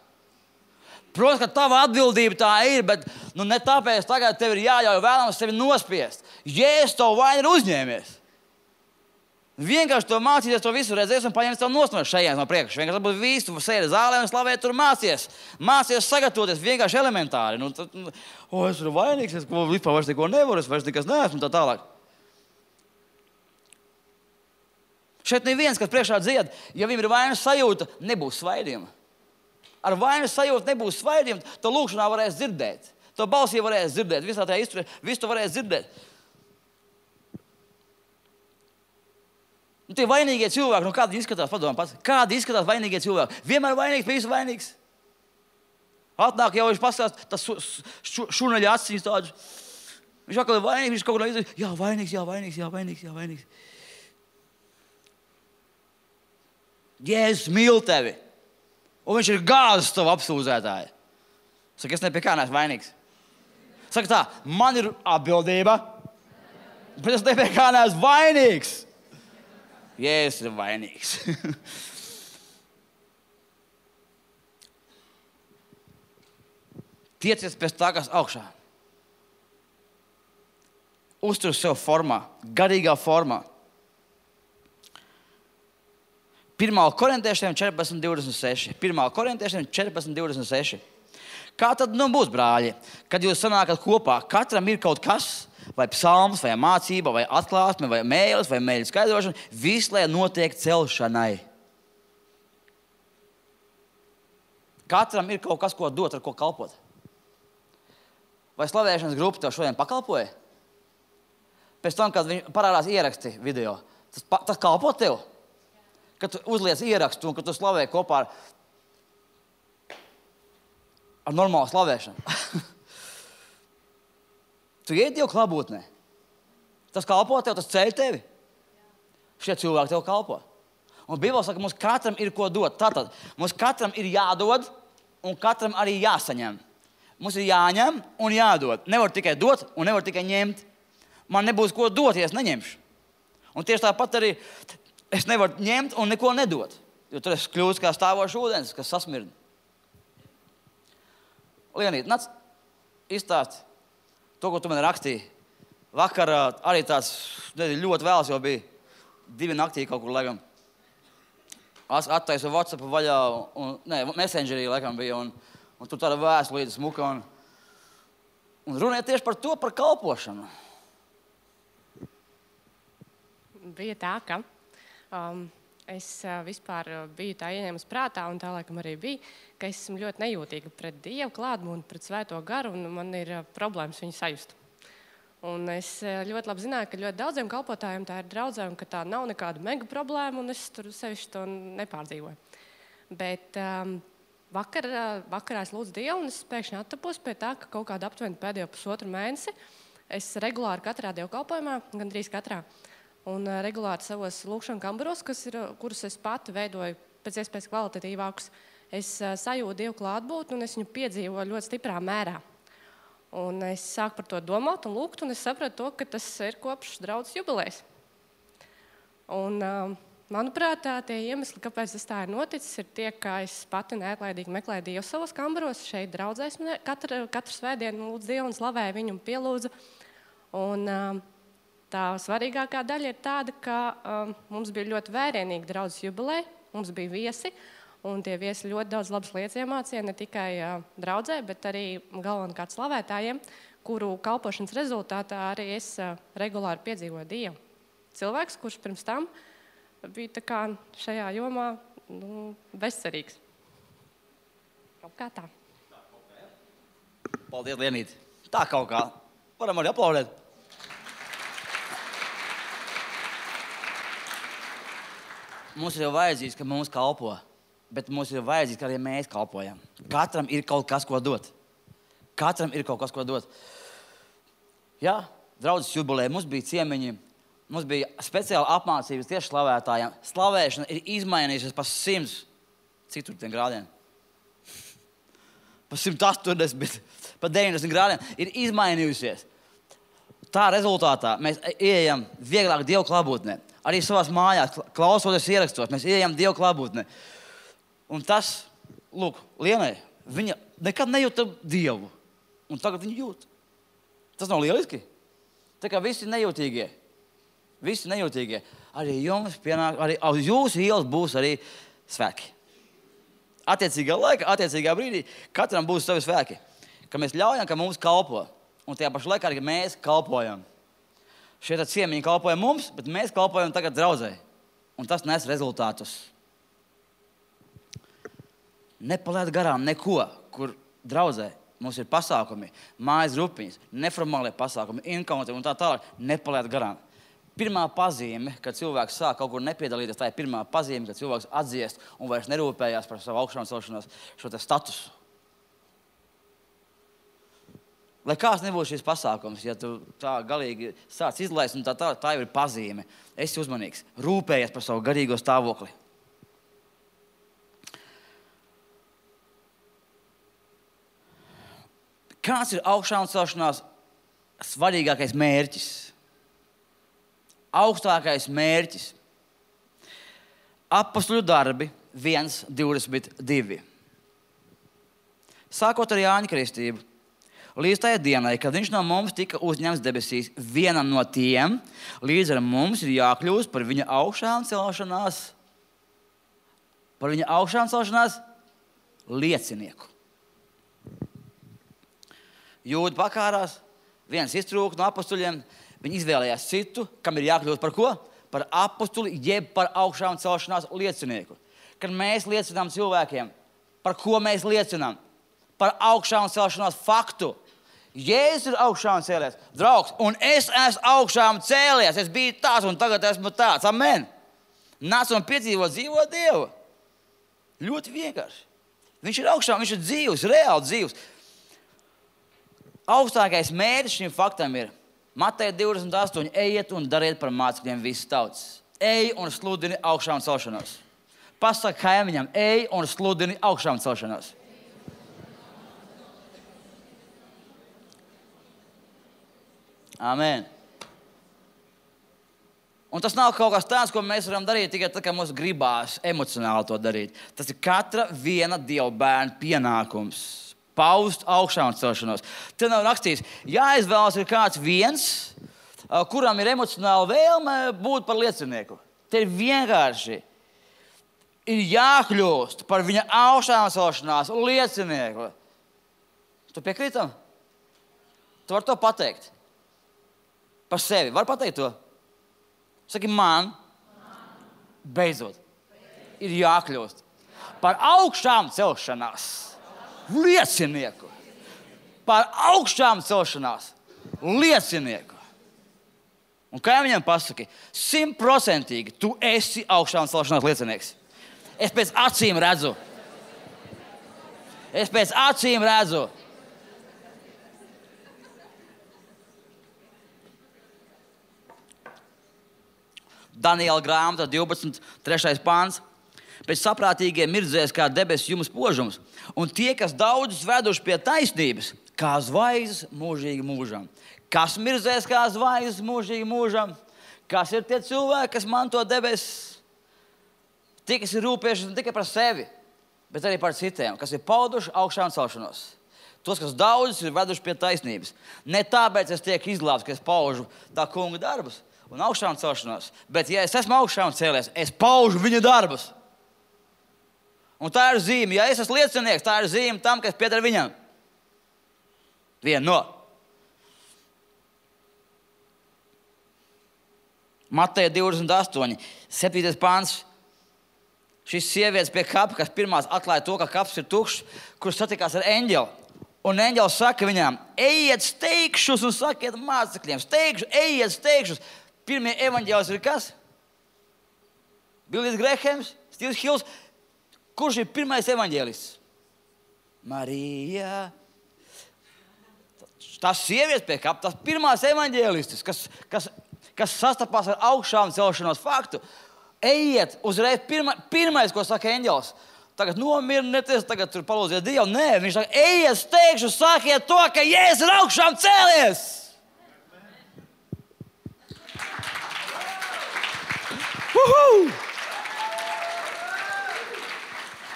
Protams, ka tava atbildība tā ir, bet nu, ne tāpēc tagad tev ir jāļauj vēlams sevi nospiest. Jēzus tavu vainu ir uzņēmies. Vienkārši to mācīties, to visu redzēs un paņems tev nost no šajienes no priekšas. Vienkārši varbūt visu, tu sēdi zālē un slavē, tur mācies. Mācies sagatavoties vienkārši elementāri. Nu, tad, nu, o, es esmu vainīgs, es vispār vairs neko nevaru, es vairs nekas neesmu un tā tālāk. Šeit neviens, kas priekšā dzied, ja viņam ir vainas sajūta, nebūs svaidījuma. Ar vainas sajūtu nebūs svaidījuma, to lūkšanā varēs dzirdēt. To balsī varēs dzirdēt, visā tajā izturē, visu to varēs dzirdēt. Nu, tie vainīgie cilvēki, nu kādi izskatās, padomā pats, kādi izskatās vainīgie cilvēki? Vienmēr vainīgs, pie visu vainīgs. Atnāk jau viņš pastāst, tas šurnaļa acis tādus, Viņš atkal ir vainīgs, viņš kaut ko izdarīja. Jā, vainīgs, jā, vainīgs, jā, vainīgs, jā, vainīgs. Jēzus mīl tevi. Un viņš ir gāzes tavu apsūdzētāju. Saka, es ne pie kā neesmu vainīgs. Saka tā, man ir atbildība, bet es ne pie kā neesmu vainīgs. Jēzus ir vainīgs. Tiecies pēc tā, kas augšā. Uztur sev formā, garīgā formā. pirmā korintiešiem četrpadsmit divdesmit seši. pirmā korintiešiem četrpadsmit divdesmit seši. Kā tad nu būs, brāļi, kad jūs sanākat kopā? Katram ir kaut kas, vai psalms, vai mācība, vai atklāsme, vai mēlis, vai mēļu skaidrošana. Viss, lai notiek celšanai. Katram ir kaut kas, ko dot, ar ko kalpot. Vai slavēšanas grupa tev šodien pakalpoja? Pēc tam, kad viņi parādās ieraksti video, tas, tas kalpo tev? Kad tu uzliec ierakstu un kad tu slavē kopā ar, ar normālu slavēšanu. Tu iet Dievu klātbūtnē. Tas kalpo tev, tas ceļ tevi. Šie cilvēki tev kalpo. Un Bībele saka, mums katram ir ko dot. Tātad, mums katram ir jādod un katram arī jāsaņem. Mums ir jāņem un jādod. Nevar tikai dot un nevar tikai ņemt. Man nebūs ko dot, ja es neņemšu. Un tieši tāpat arī es nevaru ņemt un neko nedot. Jo tur es kļūstu kā stāvošs ūdens, kas sasmird. Lienīt, nāc izstāst to, ko tu man rakstīji. Vakar arī tāds nezinu, ļoti vēls jau bija. Divi naktī kaut kur, laikam. Attaisu WhatsApp vaļā, un, ne, Messengerī, laikam, bija, un, un tur tāda vēstulīte smuka, un, un runāja tieši par to, par kalpošanu. Bija tā, ka um, es uh, vispār biju tā ieņēmusi prātā, un tā laikam arī bija, ka es esmu ļoti nejūtīga pret Dievu klātbūtni, pret Svēto garu, un man ir uh, problēmas viņu sajust. Un es uh, ļoti labi zināju, ka ļoti daudziem kalpotājiem tā ir draudzē, un ka tā nav nekāda mega problēma, un es tur sevišķi to nepārdzīvoju. Bet um, vakar, uh, vakarā es lūdzu Dievu, un es pēkšņi attapos pie tā, ka kaut kāda aptuveni pēdējo pusotru mēnesi es regulāri katrā dievkalpojumā, gandrīz katrā, un uh, regulāri savos lūkšanu kambaros, kas ir, kurus es pati veidoju pēc iespējas kvalitatīvākus, es uh, sajūtu Dievu klātbūtni un es viņu piedzīvoju ļoti stiprā mērā. Un es sāku par to domāt un lūgt, un es sapratu to, ka tas ir kopš draudzes jubilejas. Un, uh, manuprāt, tie iemesli, kāpēc tas tā ir noticis, ir tie, ka es pati neatlaidīgi meklēju Dievu savos kambaros, šeit draudzēs katru, katru svētdienu lūdzu Dievu un slavēju viņu un pielūdzu. Un, uh, Tā svarīgākā daļa ir tāda, ka um, mums bija ļoti vērienīga draudzes jubileja, mums bija viesi, un tie viesi ļoti daudz labas lietas iemācīja, ne tikai uh, draudzē, bet arī galvenokārt slavētājiem, kuru kalpošanas rezultātā arī es uh, regulāri piedzīvoju Dievu. Cilvēks, kurš pirms tam bija tā kā šajā jomā nu, bezcerīgs. Kaut kā tā. Paldies, Lienīt. Tā kaut kā. Varam arī aplaudēt. Mums ir jau vajadzīgs, ka mums kalpo, bet mums ir vajadzīgs, ka arī mēs kalpojam. Katram ir kaut kas, ko dot. Katram ir kaut kas, ko dot. Jā, draudzes jubilē, mums bija ciemiņi, mums bija speciāla apmācības tieši slavētājiem. Slavēšana ir izmainījusies pa simts, cik tur tiem grādiem? Pa simt astoņdesmit, pa deviņdesmit grādiem ir izmainījusies. Tā rezultātā mēs ieejam vieglāk Dievu klātbūtnē. Arī savās mājās, klausoties ierakstos, mēs ieejam Dievu klātbūtnē. Un tas, lūk, Lienai, viņa nekad nejūta Dievu. Un tagad viņa jūt. Tas nav lieliski? Tā kā visi nejūtīgie. Visi nejūtīgie. Arī jums pienāk, arī uz jūsu ielas būs arī svēki. Attiecīgā laika, attiecīgā brīdī katram būs savi svēki. Ka mēs ļaujam, ka mums kalpo. Un tajā pašā laikā arī mēs kalpojam. Šie ciemiņi kalpoja mums, bet mēs kalpojam tagad draudzē. Un tas nes rezultātus. Nepalaid garām neko, kur draudzē mums ir pasākumi, mājas grupiņas, neformālie pasākumi, inkaunti un tā tālāk. Nepalaid garām. Pirmā pazīme, kad cilvēks sāk kaut kur nepiedalīties, tā ir pirmā pazīme, kad cilvēks atdziest un vairs nerūpējās par savu augšām celšanos, šo te statusu. Lai kāds nebūtu šis pasākums, ja tu tā galīgi sāc izlaist, un tā, tā, tā jau ir pazīme. Esi uzmanīgs, rūpējies par savu garīgo stāvokli. Kāds ir augšā un celšanās svarīgākais mērķis? Augstākais mērķis. Apostoļu darbi viens divdesmit divi. Sākot ar Jāņa kristību, līdz tajai dienai, kad viņš no mums tika uzņemts debesīs, vienam no tiem, līdz ar mums ir jākļūst par viņa augšām celšanās, par viņa augšām celšanās liecinieku. Jūda pakārās, viens iztrūka no apostuļiem, viņi izvēlējās citu, kam ir jākļūst par ko? Par apostuli, jeb par augšām celšanās liecinieku. Kad mēs liecinām cilvēkiem, par ko mēs liecinām? Par augšām celšanās faktu. Jēzus ir augšām cēlies, draugs, un es esmu augšām cēlies, es biju tāds un tagad esmu tāds. Amen. Nāc un piedzīvo dzīvo Dievu. Ļoti vienkārši. Viņš ir augšām, viņš ir dzīvs, reāli dzīvs. Augstākais mērķis šim faktam ir Mateja divdesmit astoņi. Ejiet un dariet par mācekļiem visas tautas. Ej un sludini augšām celšanos. Pasaka kaimiņam, ej un sludini augšām celšanos. Amen. Un tas nav kaut kas tāds, ko mēs varam darīt tikai tad, kad mums gribās emocionāli to darīt. Tas ir katra viena Dieva bērna pienākums. Paust augšām celšanos. Te nav rakstīts, jāizvēlas ir kāds viens, kuram ir emocionāla vēlme būt par liecinieku. Te ir vienkārši ir jākļūst par viņa augšām celšanās liecinieku. Tu piekrītam? Tu vari to pateikt. Par sevi. Var pateikt to? Saki, man, beidzot, ir jākļūst par augšām celšanās liecinieku. Par augšām celšanās liecinieku. Un kā viņam pasaki, simtprocentīgi tu esi augšām celšanās liecinieks. Es pēc acīm redzu. Es pēc acīm redzu. Daniela grāmata divpadsmit trešais pāns. Pēc saprātīgiem mirdzēs kā debesu jums požums, un tie, kas daudzus veduši pie taisnības, kā zvaigznes mūžīgi mūžam. Kas mirdzēs kā zvaigznes mūžīgi mūžam? Kas ir tie cilvēki, kas manto debesis? Tie, kas ir rūpējušies ne tikai par sevi, bet arī par citiem, kas ir pauduši augšām celšanos. Tos, kas daudzus ir veduši pie taisnības. Ne tāpēc es tiek izglābts, ka es paužu tā kunga darbus un augšām celšanos, bet ja es esmu augšām cēlies, es paužu viņa darbus. Un tā ir zīme. Ja es esmu liecinieks, tā ir zīme tam, kas pieder viņam. Viena no. Mateja divdesmit astoņi, septītais pāns. Šis sievietes pie kapa, kas pirmās atklāja to, ka kaps ir tukšs, kurš satikās ar eņģeli. Un eņģelis saka viņām, ejiet steigšus un sakiet mācekļiem. Steigšus, ejiet steigšus. Pirmie evaņģēlis ir kas? Billijs Grehams, Stīvs Hills. Kurš ir pirmais evaņģēlists? Marija. Tas sievietes pie kapa, tas pirmās evaņģēlistis, kas, kas, kas sastapās ar augšām celšanos faktu. Ejiet uzreiz, pirma, pirmais, ko saka eņģelis. Tagad nomierinieties, tagad tur palūdziet Dievu. Nē, viņš saka, ejiet steigšu, sakiet to, ka Jēzus ir augšām cēlies. Uhu!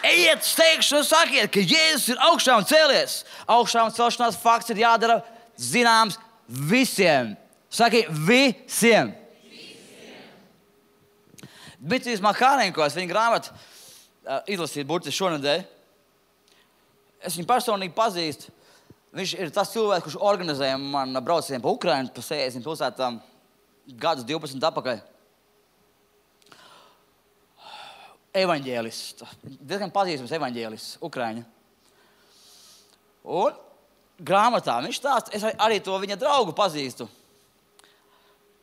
Ejiet steigšu un sakiet, ka Jēzus ir augšām cēlies. Augšām celšanās fakts ir jādara zināms visiem. Saki, visiem. Visiem. Dmitrijs Makārenkos, viņa grāmatu uh, izlasīt burtiski šonedēļ. Es viņu personīgi pazīstu. Viņš ir tas cilvēks, kurš organizēja man braucienu pa Ukrainu, pa sēdesmit pilsētām gadus divpadsmit atpakaļ. Evaņģēlists, diezgan pazīstams evaņģēlists, Ukraiņa. Un grāmatā viņš stāsta, es arī to viņa draugu pazīstu.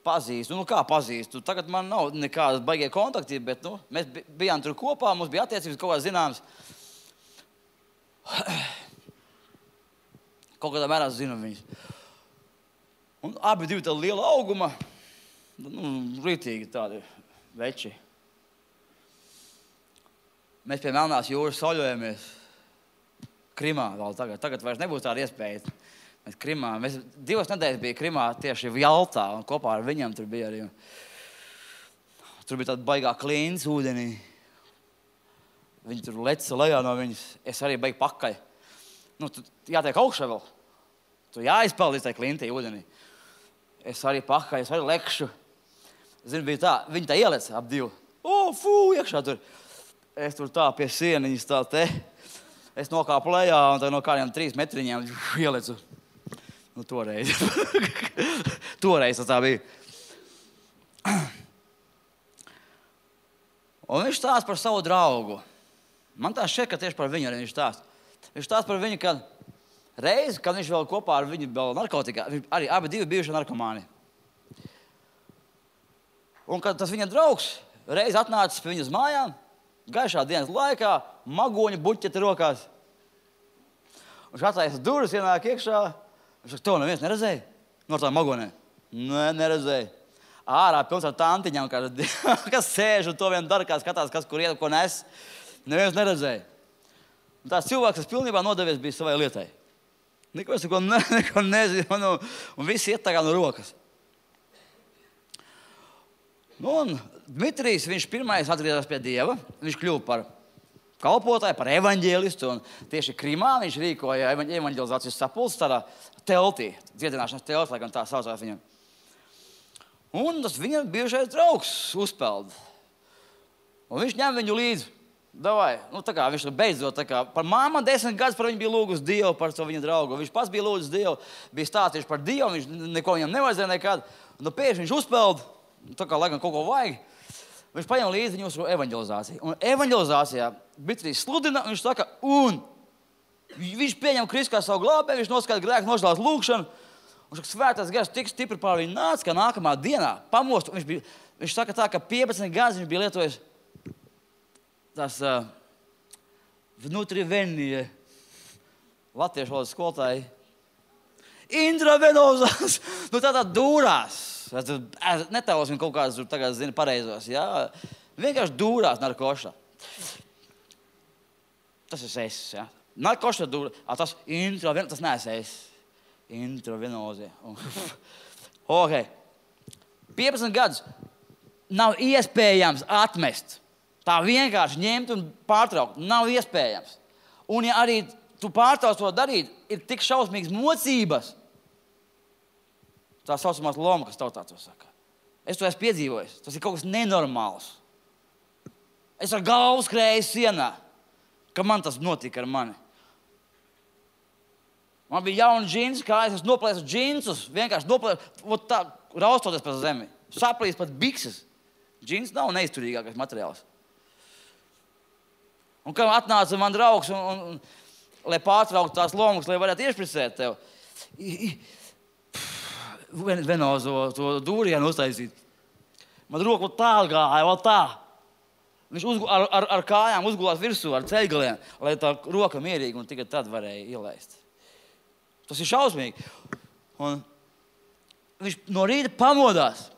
Pazīstu, nu kā pazīstu, tagad man nav nekādas baigie kontakti, bet nu, mēs bijām tur kopā, mums bija attiecības kaut kā zināms. kaut kādā mērā zinu viņus. Un abi divi tādi liela auguma, nu, rītīgi tādi veči. Mēs pie Melnās jūras sauļojamies Krimā vēl tagad. Tagad vairs nebūs tāda iespēja. Mēs Krimā, mēs divas nedēļas bija Krimā tieši Jaltā, un kopā ar viņam tur bija arī. Tur bija tāda baigā klīns ūdenī. Viņi tur leca lejā no viņas. Es arī beigtu pakaļ. Nu, tu jātiek augšā vēl. Tu jāizpeld līdz tai klintī ūdenī. Es arī pakaļ, es arī lekšu. Zinu, bija tā, viņi tā ielec ap divu. O, fū, iekšā tur. Es tur tā pie sieniņas tā te. Es nokāpu lejā un tā no kādiem trīs metriņiem ielecu. Nu, toreiz. Toreiz tas tā bija. Un viņš stāsta par savu draugu. Man tā šķiet, ka tieši par viņu arī viņš stāsta. Viņš stāsta par viņu, kad reizi, kad viņš vēl kopā ar viņu vēl narkotikā, arī abi divi bijuši narkomāni. Un kad tas viņa draugs reiz atnācis pie viņas mājām, gaišā dienas laikā, magoņu buķeti rokās. Viņš attaisa durvis, ienāk iekšā. Viņš saka, to neviens neredzēja? No tā magonē. Nē, neredzēja. Ārā pilns ar tantiņām, kas sēž un to vien dara, kā skatās, kas kur iet, ko nes. Neviens neredzēja. Un tās cilvēks, kas pilnībā nodevies, bija savai lietai. Neko es neko, ne, neko nezinu, un, un viss iet tā kā no rokas. Nu, un Dmitrijs, viņš pirmais atgriezās pie Dieva. Viņš kļuva par kalpotāju, par evaņģēlistu. Un tieši Krimā viņš rīkoja evaņģelizācijas sapulces tādā teltī, dziedināšanas teltī, lai gan tā saucās viņam. Un tas viņa bijušais draugs uzpeld. Un viņš ņem viņu līdzi. Davai, nu tā kā viņš beidzot, tā kā par māma desmit gadus par viņu bija lūgus Dievu, par to viņa draugu. Viņš pats bija lūdzus Dievu, bija stāstījuši par Dievu, viņš neko viņam nevajadzēja nekad. Un pēkšņi viņš uzpeld, tā kā laikam kaut ko vajag. Viņš paņem līdzi viņu uz evaņģelizāciju. Un evaņģelizācijā Dmitrijs sludina, viņš saka, un viņš pieņem Kristu kā savu glābēju, viņš noskaita grēku nožēlas lūgšanu. Un saka, svētais gars tik stipri pār viņu nāca, ka nākamā dienā pamost. Viņš, bija, viņš saka tā, ka piecpadsmit gadus viņš bija lietojis tās uh, vnutrivenije, latviešu valodas skolotāji, intravenozās, nu tā tā dūrās. Netēlosim kaut kādas tur tagad zina pareizos, jā. Vienkārši dūrās narkošā. Tas ir es, jā. Narkošā dūrā, tas intravenozē, tas neesmu es. Intravenozē. Ok. piecpadsmit gadus nav iespējams atmest. Tā vienkārši ņemt un pārtraukt. Nav iespējams. Un ja arī tu pārtrauc to darīt, ir tik šausmīgas mocības. Tā saucamās loma, kas tautā to saka. Es to esmu piedzīvojis. Tas ir kaut kas nenormāls. Es ar galvu skrēju sienā, ka man tas notika ar mani. Man bija jauni džinsi, kā es noplēsu džinsus, vienkārši noplēsu, tā, raustoties pa zemi. Saplīs pat bikses. Džins nav neizturīgākais materiāls. Un kā atnāca man draugs, un, un, un, lai pārtrauktu tās lomas, lai varētu iešpricēt tev, venozo to dūrienu uztaisīt. Man roka tā gāja, vēl tā. Viņš uzgu, ar, ar, ar kājām uzgulās virsū, ar ceļgaliem, lai tā roka mierīgi, un tikai tad varēja ielaist. Tas ir šausmīgi. Un viņš no rīta pamodās,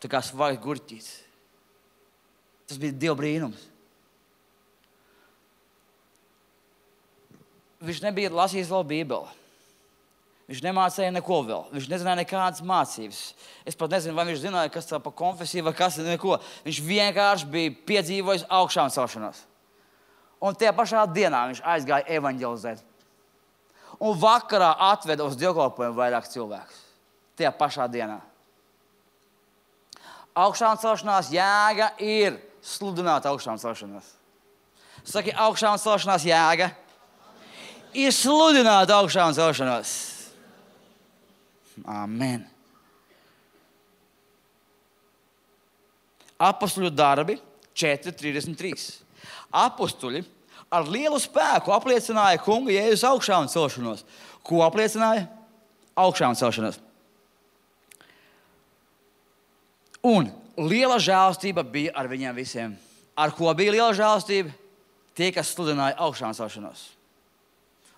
tā kā svaigs gurķīts. Tas bija Dieva brīnums. Viņš nebija lasījis vēl Bībeli. Viņš nemācīja neko vēl. Viņš nezināja nekādas mācības. Es pat nezinu, vai viņš zināja, kas tā pa konfesiju vai kas neko. Viņš vienkārši bija piedzīvojis augšām celšanos. Un tajā pašā dienā viņš aizgāja evaņģelizēt. Un vakarā atveda uz dievkalpojumu vairāk cilvēkus. Tajā pašā dienā. Augšām celšanās jēga ir sludināt augšām celšanos. Saki, augšām celšanās jēga ir sludināt augšām celšanos. Amen. Apostuļu darbi četri trīsdesmit trīs. Apostuļi ar lielu spēku apliecināja kunga Jēzus augšām celšanos. Ko apliecināja? Augšām celšanos. Un liela žēlastība bija ar viņiem visiem. Ar ko bija liela žēlastība? Tie, kas sludināja augšām celšanos.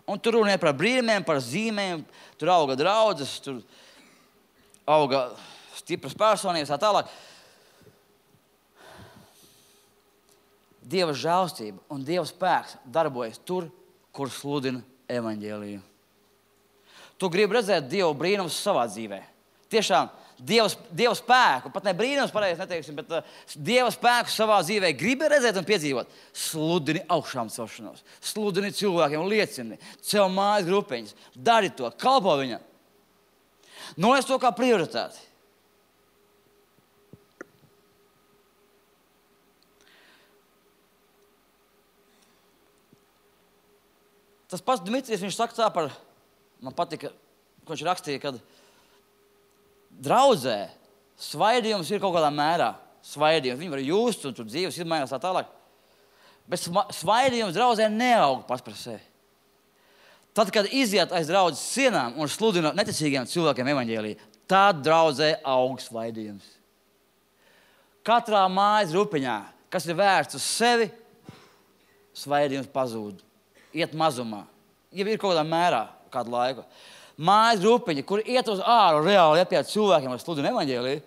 Un tur runāja par brīnumiem, par zīmēm, tur auga draudzes, tur auga stipras personības, tā tālāk. Dieva žēlstība un Dieva spēks darbojas tur, kur sludina evaņģēliju. Tu gribi redzēt Dieva brīnumus savā dzīvē. Tiešām Dieva, Dieva spēku, pat ne brīnums pareizi neteiksim, bet uh, Dieva spēku savā dzīvē gribi redzēt un piedzīvot. Sludini augšām celšanos, sludini cilvēkiem, liecini, ceļ mājas grupiņas, dari to, kalpo viņam. Noliec to kā prioritāti. Tas pats Dmitrijs, viņš saka tā par, man patika, ko viņš rakstīja, kad draudzē svaidījums ir kaut kādā mērā. Svaidījums. Viņi var just un tur dzīves izmainās tā tālāk. Bet svaidījums draudzē neaug pats par sevi. Tad, kad iziet aiz draudzes sienām un sludina neticīgiem cilvēkiem evaņģēliju, tad draudzē aug svaidījums. Katrā mājas grupiņā, kas ir vērsts uz sevi, svaidījums pazūd. Iet mazumā. Ja ir kaut kādā mērā, kādu laiku. Mājas grupiņa, kur iet uz āru reāli iet pie cilvēkiem ar sludinu evaņģēliju,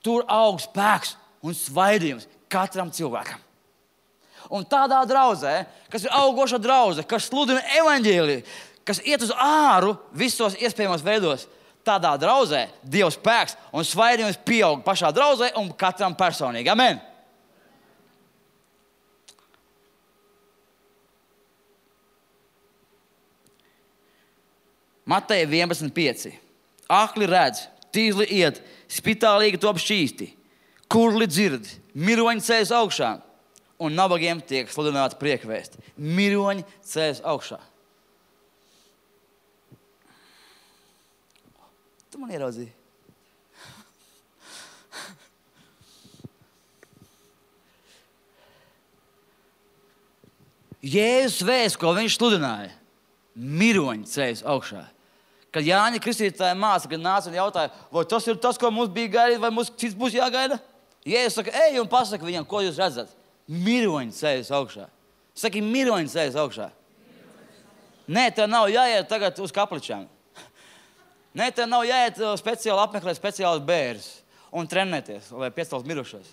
tur aug spēks un svaidījums katram cilvēkam. Un tādā draudzē, kas ir augoša draudze, kas sludina evaņģēliju, kas iet uz āru visos iespējamos veidos, tādā draudzē Dieva spēks un svaidījums pieaug pašā draudzē un katram personīgi. Amen! Mateja vienpadsmit pieci. Akli redz, tīzli iet, spitālīgi top šķīsti, kurli dzird, miroņi ceļas augšā, un nabagiem tiek sludināta priekvēsti. Miroņi ceļas augšā. Tu man ieraudzīji. Jēzus vēsts, ko viņš sludināja, miroņi ceļas augšā. Kad Jāņa Kristītāja māsa, kad nāca un jautāja, vai tas ir tas, ko mums bija gaidīt, vai mums cits būs jāgaida? Jēzus saka, ej un pasaka viņam, ko jūs redzat. Miroņi ceļas augšā. Saki, miroņi ceļas augšā. Nē, tev nav jāiet tagad uz kapličām. Nē, tev nav jāiet speciāli apmeklēt speciālus bērnus un trenēties, lai piecelt mirušos.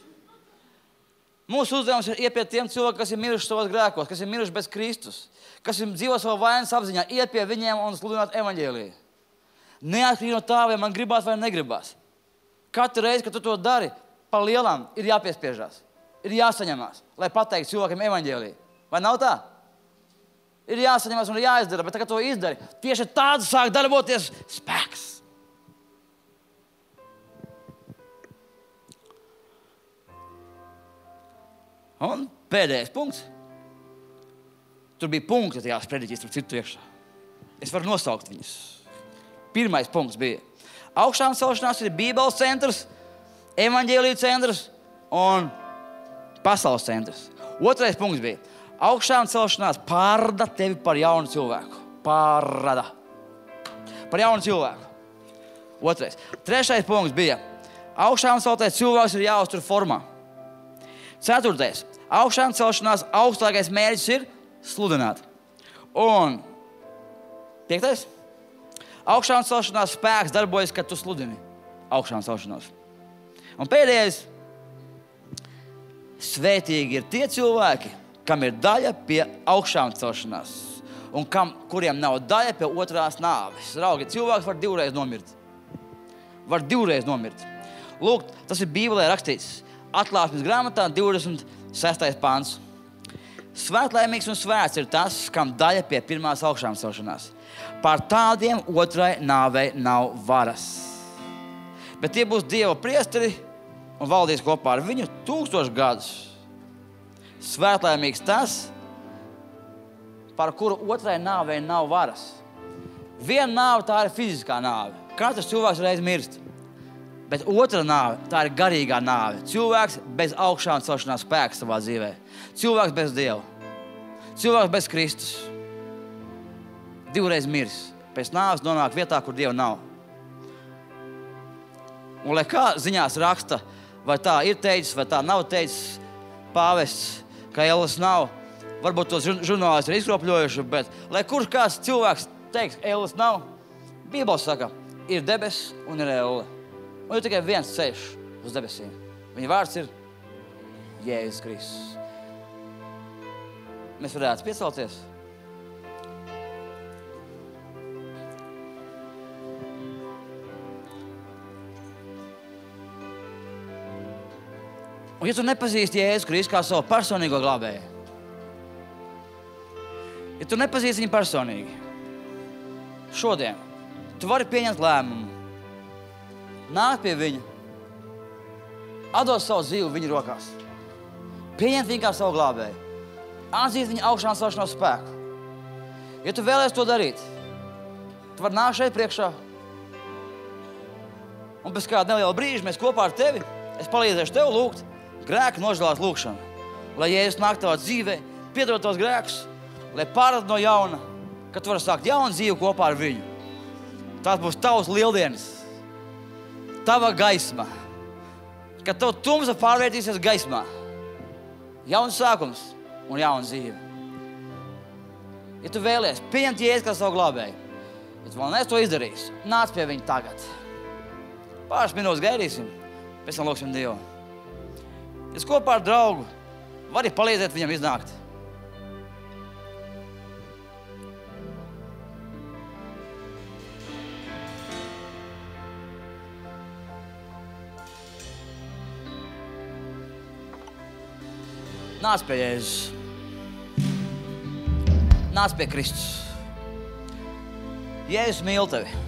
Mūsu uzdevums ir iet pie tiem cilvēkiem, kas ir miruši savos grēkos, kas ir miruši bez Kristus, kas ir dzīvo savā vainas apziņā, iet pie viņiem un sludināt evaņģēliju. Neatkarīgi no tā, vai man gribās vai negribās. Katru reizi, kad tu to dari, pa lielām ir jāpiespiežās, ir jāsaņemās, lai pateiktu cilvēkiem evaņģēliju. Vai nav tā? Ir jāsaņemās un jāizdara, bet tagad to izdari. Tieši tāds sāk darboties spēks. Un pēdējais punkts. Tur bija punkti tajās prediķīs, tur citu iekšā. Es varu nosaukt viņus. Pirmais punkts bija augšām celšanās ir Bībeles centrs, evaņģēlija centrs un pasaules centrs. Otrais punkts bija augšām celšanās pārrada tevi par jaunu cilvēku. Pārrada. Par jaunu cilvēku. Otrais. Trešais punkts bija augšām celtais cilvēks ir jāuztur formā. Ceturtais. Augšām celšanās augstākais mērķis ir sludināt. Un piektais. Augšām celšanās spēks darbojas, kad tu sludini augšām celšanos. Un pēdējais. Svētīgi ir tie cilvēki, kam ir daļa pie augšām celšanās un kam, kuriem nav daļa pie otrās nāves. Raugi, cilvēks var divreiz nomirt. Var divreiz nomirt. Lūk, tas ir Bībelē rakstīts. Atklāsmes grāmatā divdesmit sestais pāns. Svētlaimīgs un svēts ir tas, kam daļa pie pirmās augšām celšanās. Pār tādiem otrai nāvei nav varas. Bet tie būs Dieva priesteri un valdīs kopā ar viņu tūkstošu gadus. Svētlaimīgs tas, par kuru otrai nāvei nav varas. Viena nāve tā ir fiziskā nāve. Katrs cilvēks reiz mirst. Bet otra nāve, tā ir garīgā nāve. Cilvēks bez augšām celšanās spēka savā dzīvē. Cilvēks bez Dieva. Cilvēks bez Kristus. Divreiz mirs. Pēc nāves nonāk vietā, kur Dieva nav. Un lai kā ziņās raksta, vai tā ir teicis, vai tā nav teicis pāvests, ka ēlas nav, varbūt tos žurnālisti ir izkropļojuši, bet lai kurš kāds cilvēks teiks, elles nav, Bībele saka, ir debesis un ir elle. Un ir tikai viens ceļš uz debesīm. Viņa vārds ir Jēzus Kristus. Mēs varētu piecelties. Un ja tu nepazīsti Jēzu Kristu kā savu personīgo glābēju, ja tu nepazīsti viņu personīgi, šodien tu vari pieņemt lēmumu, nākt pie viņa, atdot savu dzīvi viņu rokās, pieņemt viņu kā savu glābēju, atzīt viņa augšām celšanās spēku. Ja tu vēlies to darīt, tu vari nākt šeit priekšā, un pēc kāda neliela brīža mēs kopā ar tevi, es palīdzēšu tev lūgt grēku nožēlās lūgšanu, lai Jēzus nāk tavā dzīvē, piedod tos grēkus, lai pārrad no jauna, ka tu vari sākt jaunu dzīvi kopā ar viņu. Tās būs tavs lieldienas, tava gaisma, kad tev tumsa pārvērtīsies gaismā. Jauns sākums un jauna dzīve. Ja tu vēlies pieņemt Jēzu kā savu glābēju, ja tu vēl neesi to izdarījis, nāc pie viņa tagad. Pāris minūtes gaidīsim, pēc tam lūksim Dievu. Es kopā ar draugu vari palīdzēt viņam iznākt. Nāc pie Jēzus. Nāc pie Kristus. Jēzus mīl tevi.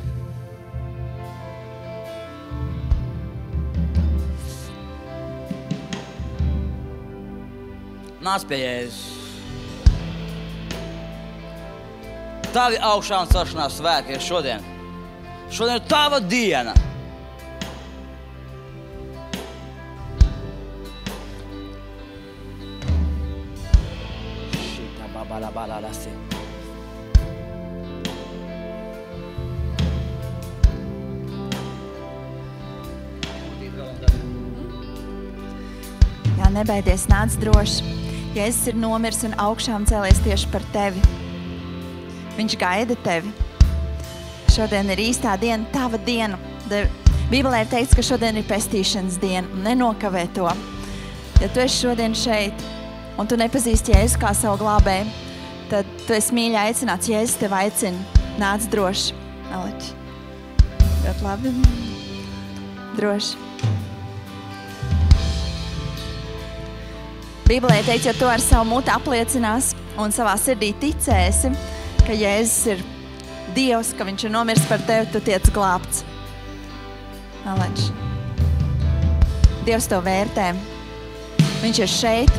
Nāc pie Jēzus. Tavi augšā un celšanās svētki ir šodien. Šodien ir tava diena. Šitā babala balalasi. Jā, nebaidies, nāc droši. Jēzus ir nomirs un augšām cēlies tieši par tevi. Viņš gaida tevi. Šodien ir īstā diena, tava diena. Bībelē ir teikts, ka šodien ir pestīšanas diena. Nenokavē to. Ja tu esi šodien šeit un tu nepazīsti Jēzu kā savu glābēju, tad tu esi mīļi aicināts. Jēzus tevi aicina. Nāc droši. Aleč. Ļoti labi. Droši. Bībelē teikt, ja tu ar savu muti apliecinās un savā sirdī ticēsi, ka Jēzus ir Dievs, ka viņš ir nomirs par tevi, tu tiec glābts. Aleč. Dievs to vērtē. Viņš ir šeit.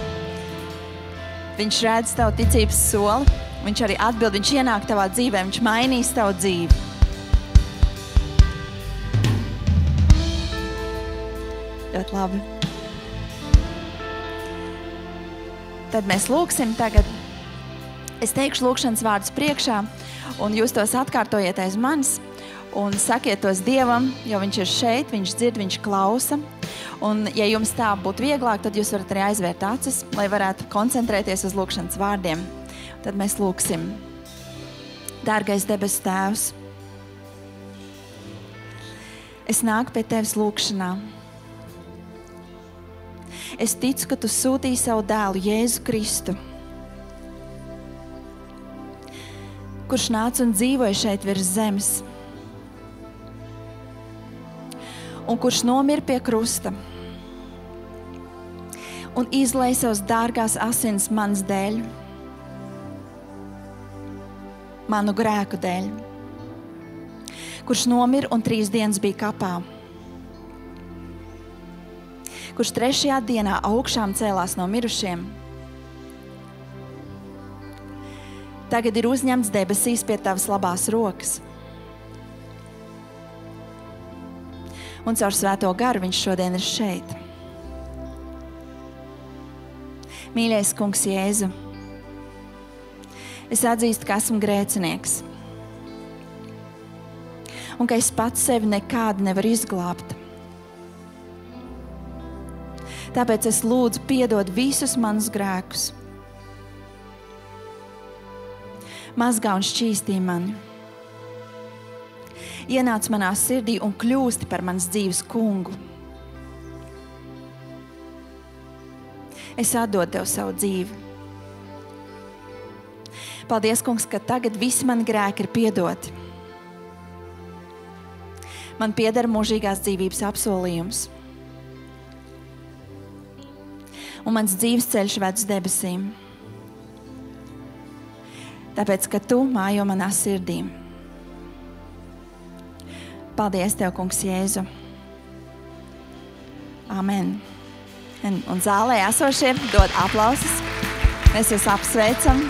Viņš redz tavu ticības soli. Viņš arī atbild, viņš ienāk tavā dzīvē, viņš mainīs tavu dzīvi. Ļoti labi. Tad mēs lūksim tagad. Es teikšu lūkšanas vārdus priekšā, un jūs tos atkārtojiet aiz manis, un sakiet tos Dievam, jo viņš ir šeit, viņš dzird, viņš klausa. Un, ja jums tā būtu vieglāk, tad jūs varat arī aizvērt acis, lai varētu koncentrēties uz lūkšanas vārdiem. Tad mēs lūksim. Dārgais debesu Tēvs, es nāku pie Tevis lūkšanā. Es ticu, ka Tu sūtīji savu dēlu Jēzu Kristu, kurš nāca un dzīvoja šeit virs zemes, un kurš nomira pie krusta un izlēja savas dārgās asins manas dēļ, manu grēku dēļ, kurš nomira un trīs dienas bija kapā, kurš trešajā dienā augšām cēlās no mirušiem, tagad ir uzņemts debesīs pie Tavas labās rokas. Un caur Svēto garu viņš šodien ir šeit. Mīļais Kungs Jēzu, es atzīstu, ka esmu grēcinieks un ka es pats sevi nekādu nevaru izglābt. Tāpēc es lūdzu piedod visus manus grēkus. mazgā un šķīstī mani. Ienāc manā sirdī un kļūsti par manas dzīves kungu. Es atdodu Tev savu dzīvi. Paldies, kungs, ka tagad visi mani grēki ir piedoti. Man pieder mūžīgās dzīvības apsolījums. Un mans dzīves ceļš ved uz debesīm. Tāpēc, ka Tu mājo manā sirdī. Paldies Tev, kungs Jēzu. Amen. Un, un zālē esošie dod aplausus. Mēs jūs apsveicam.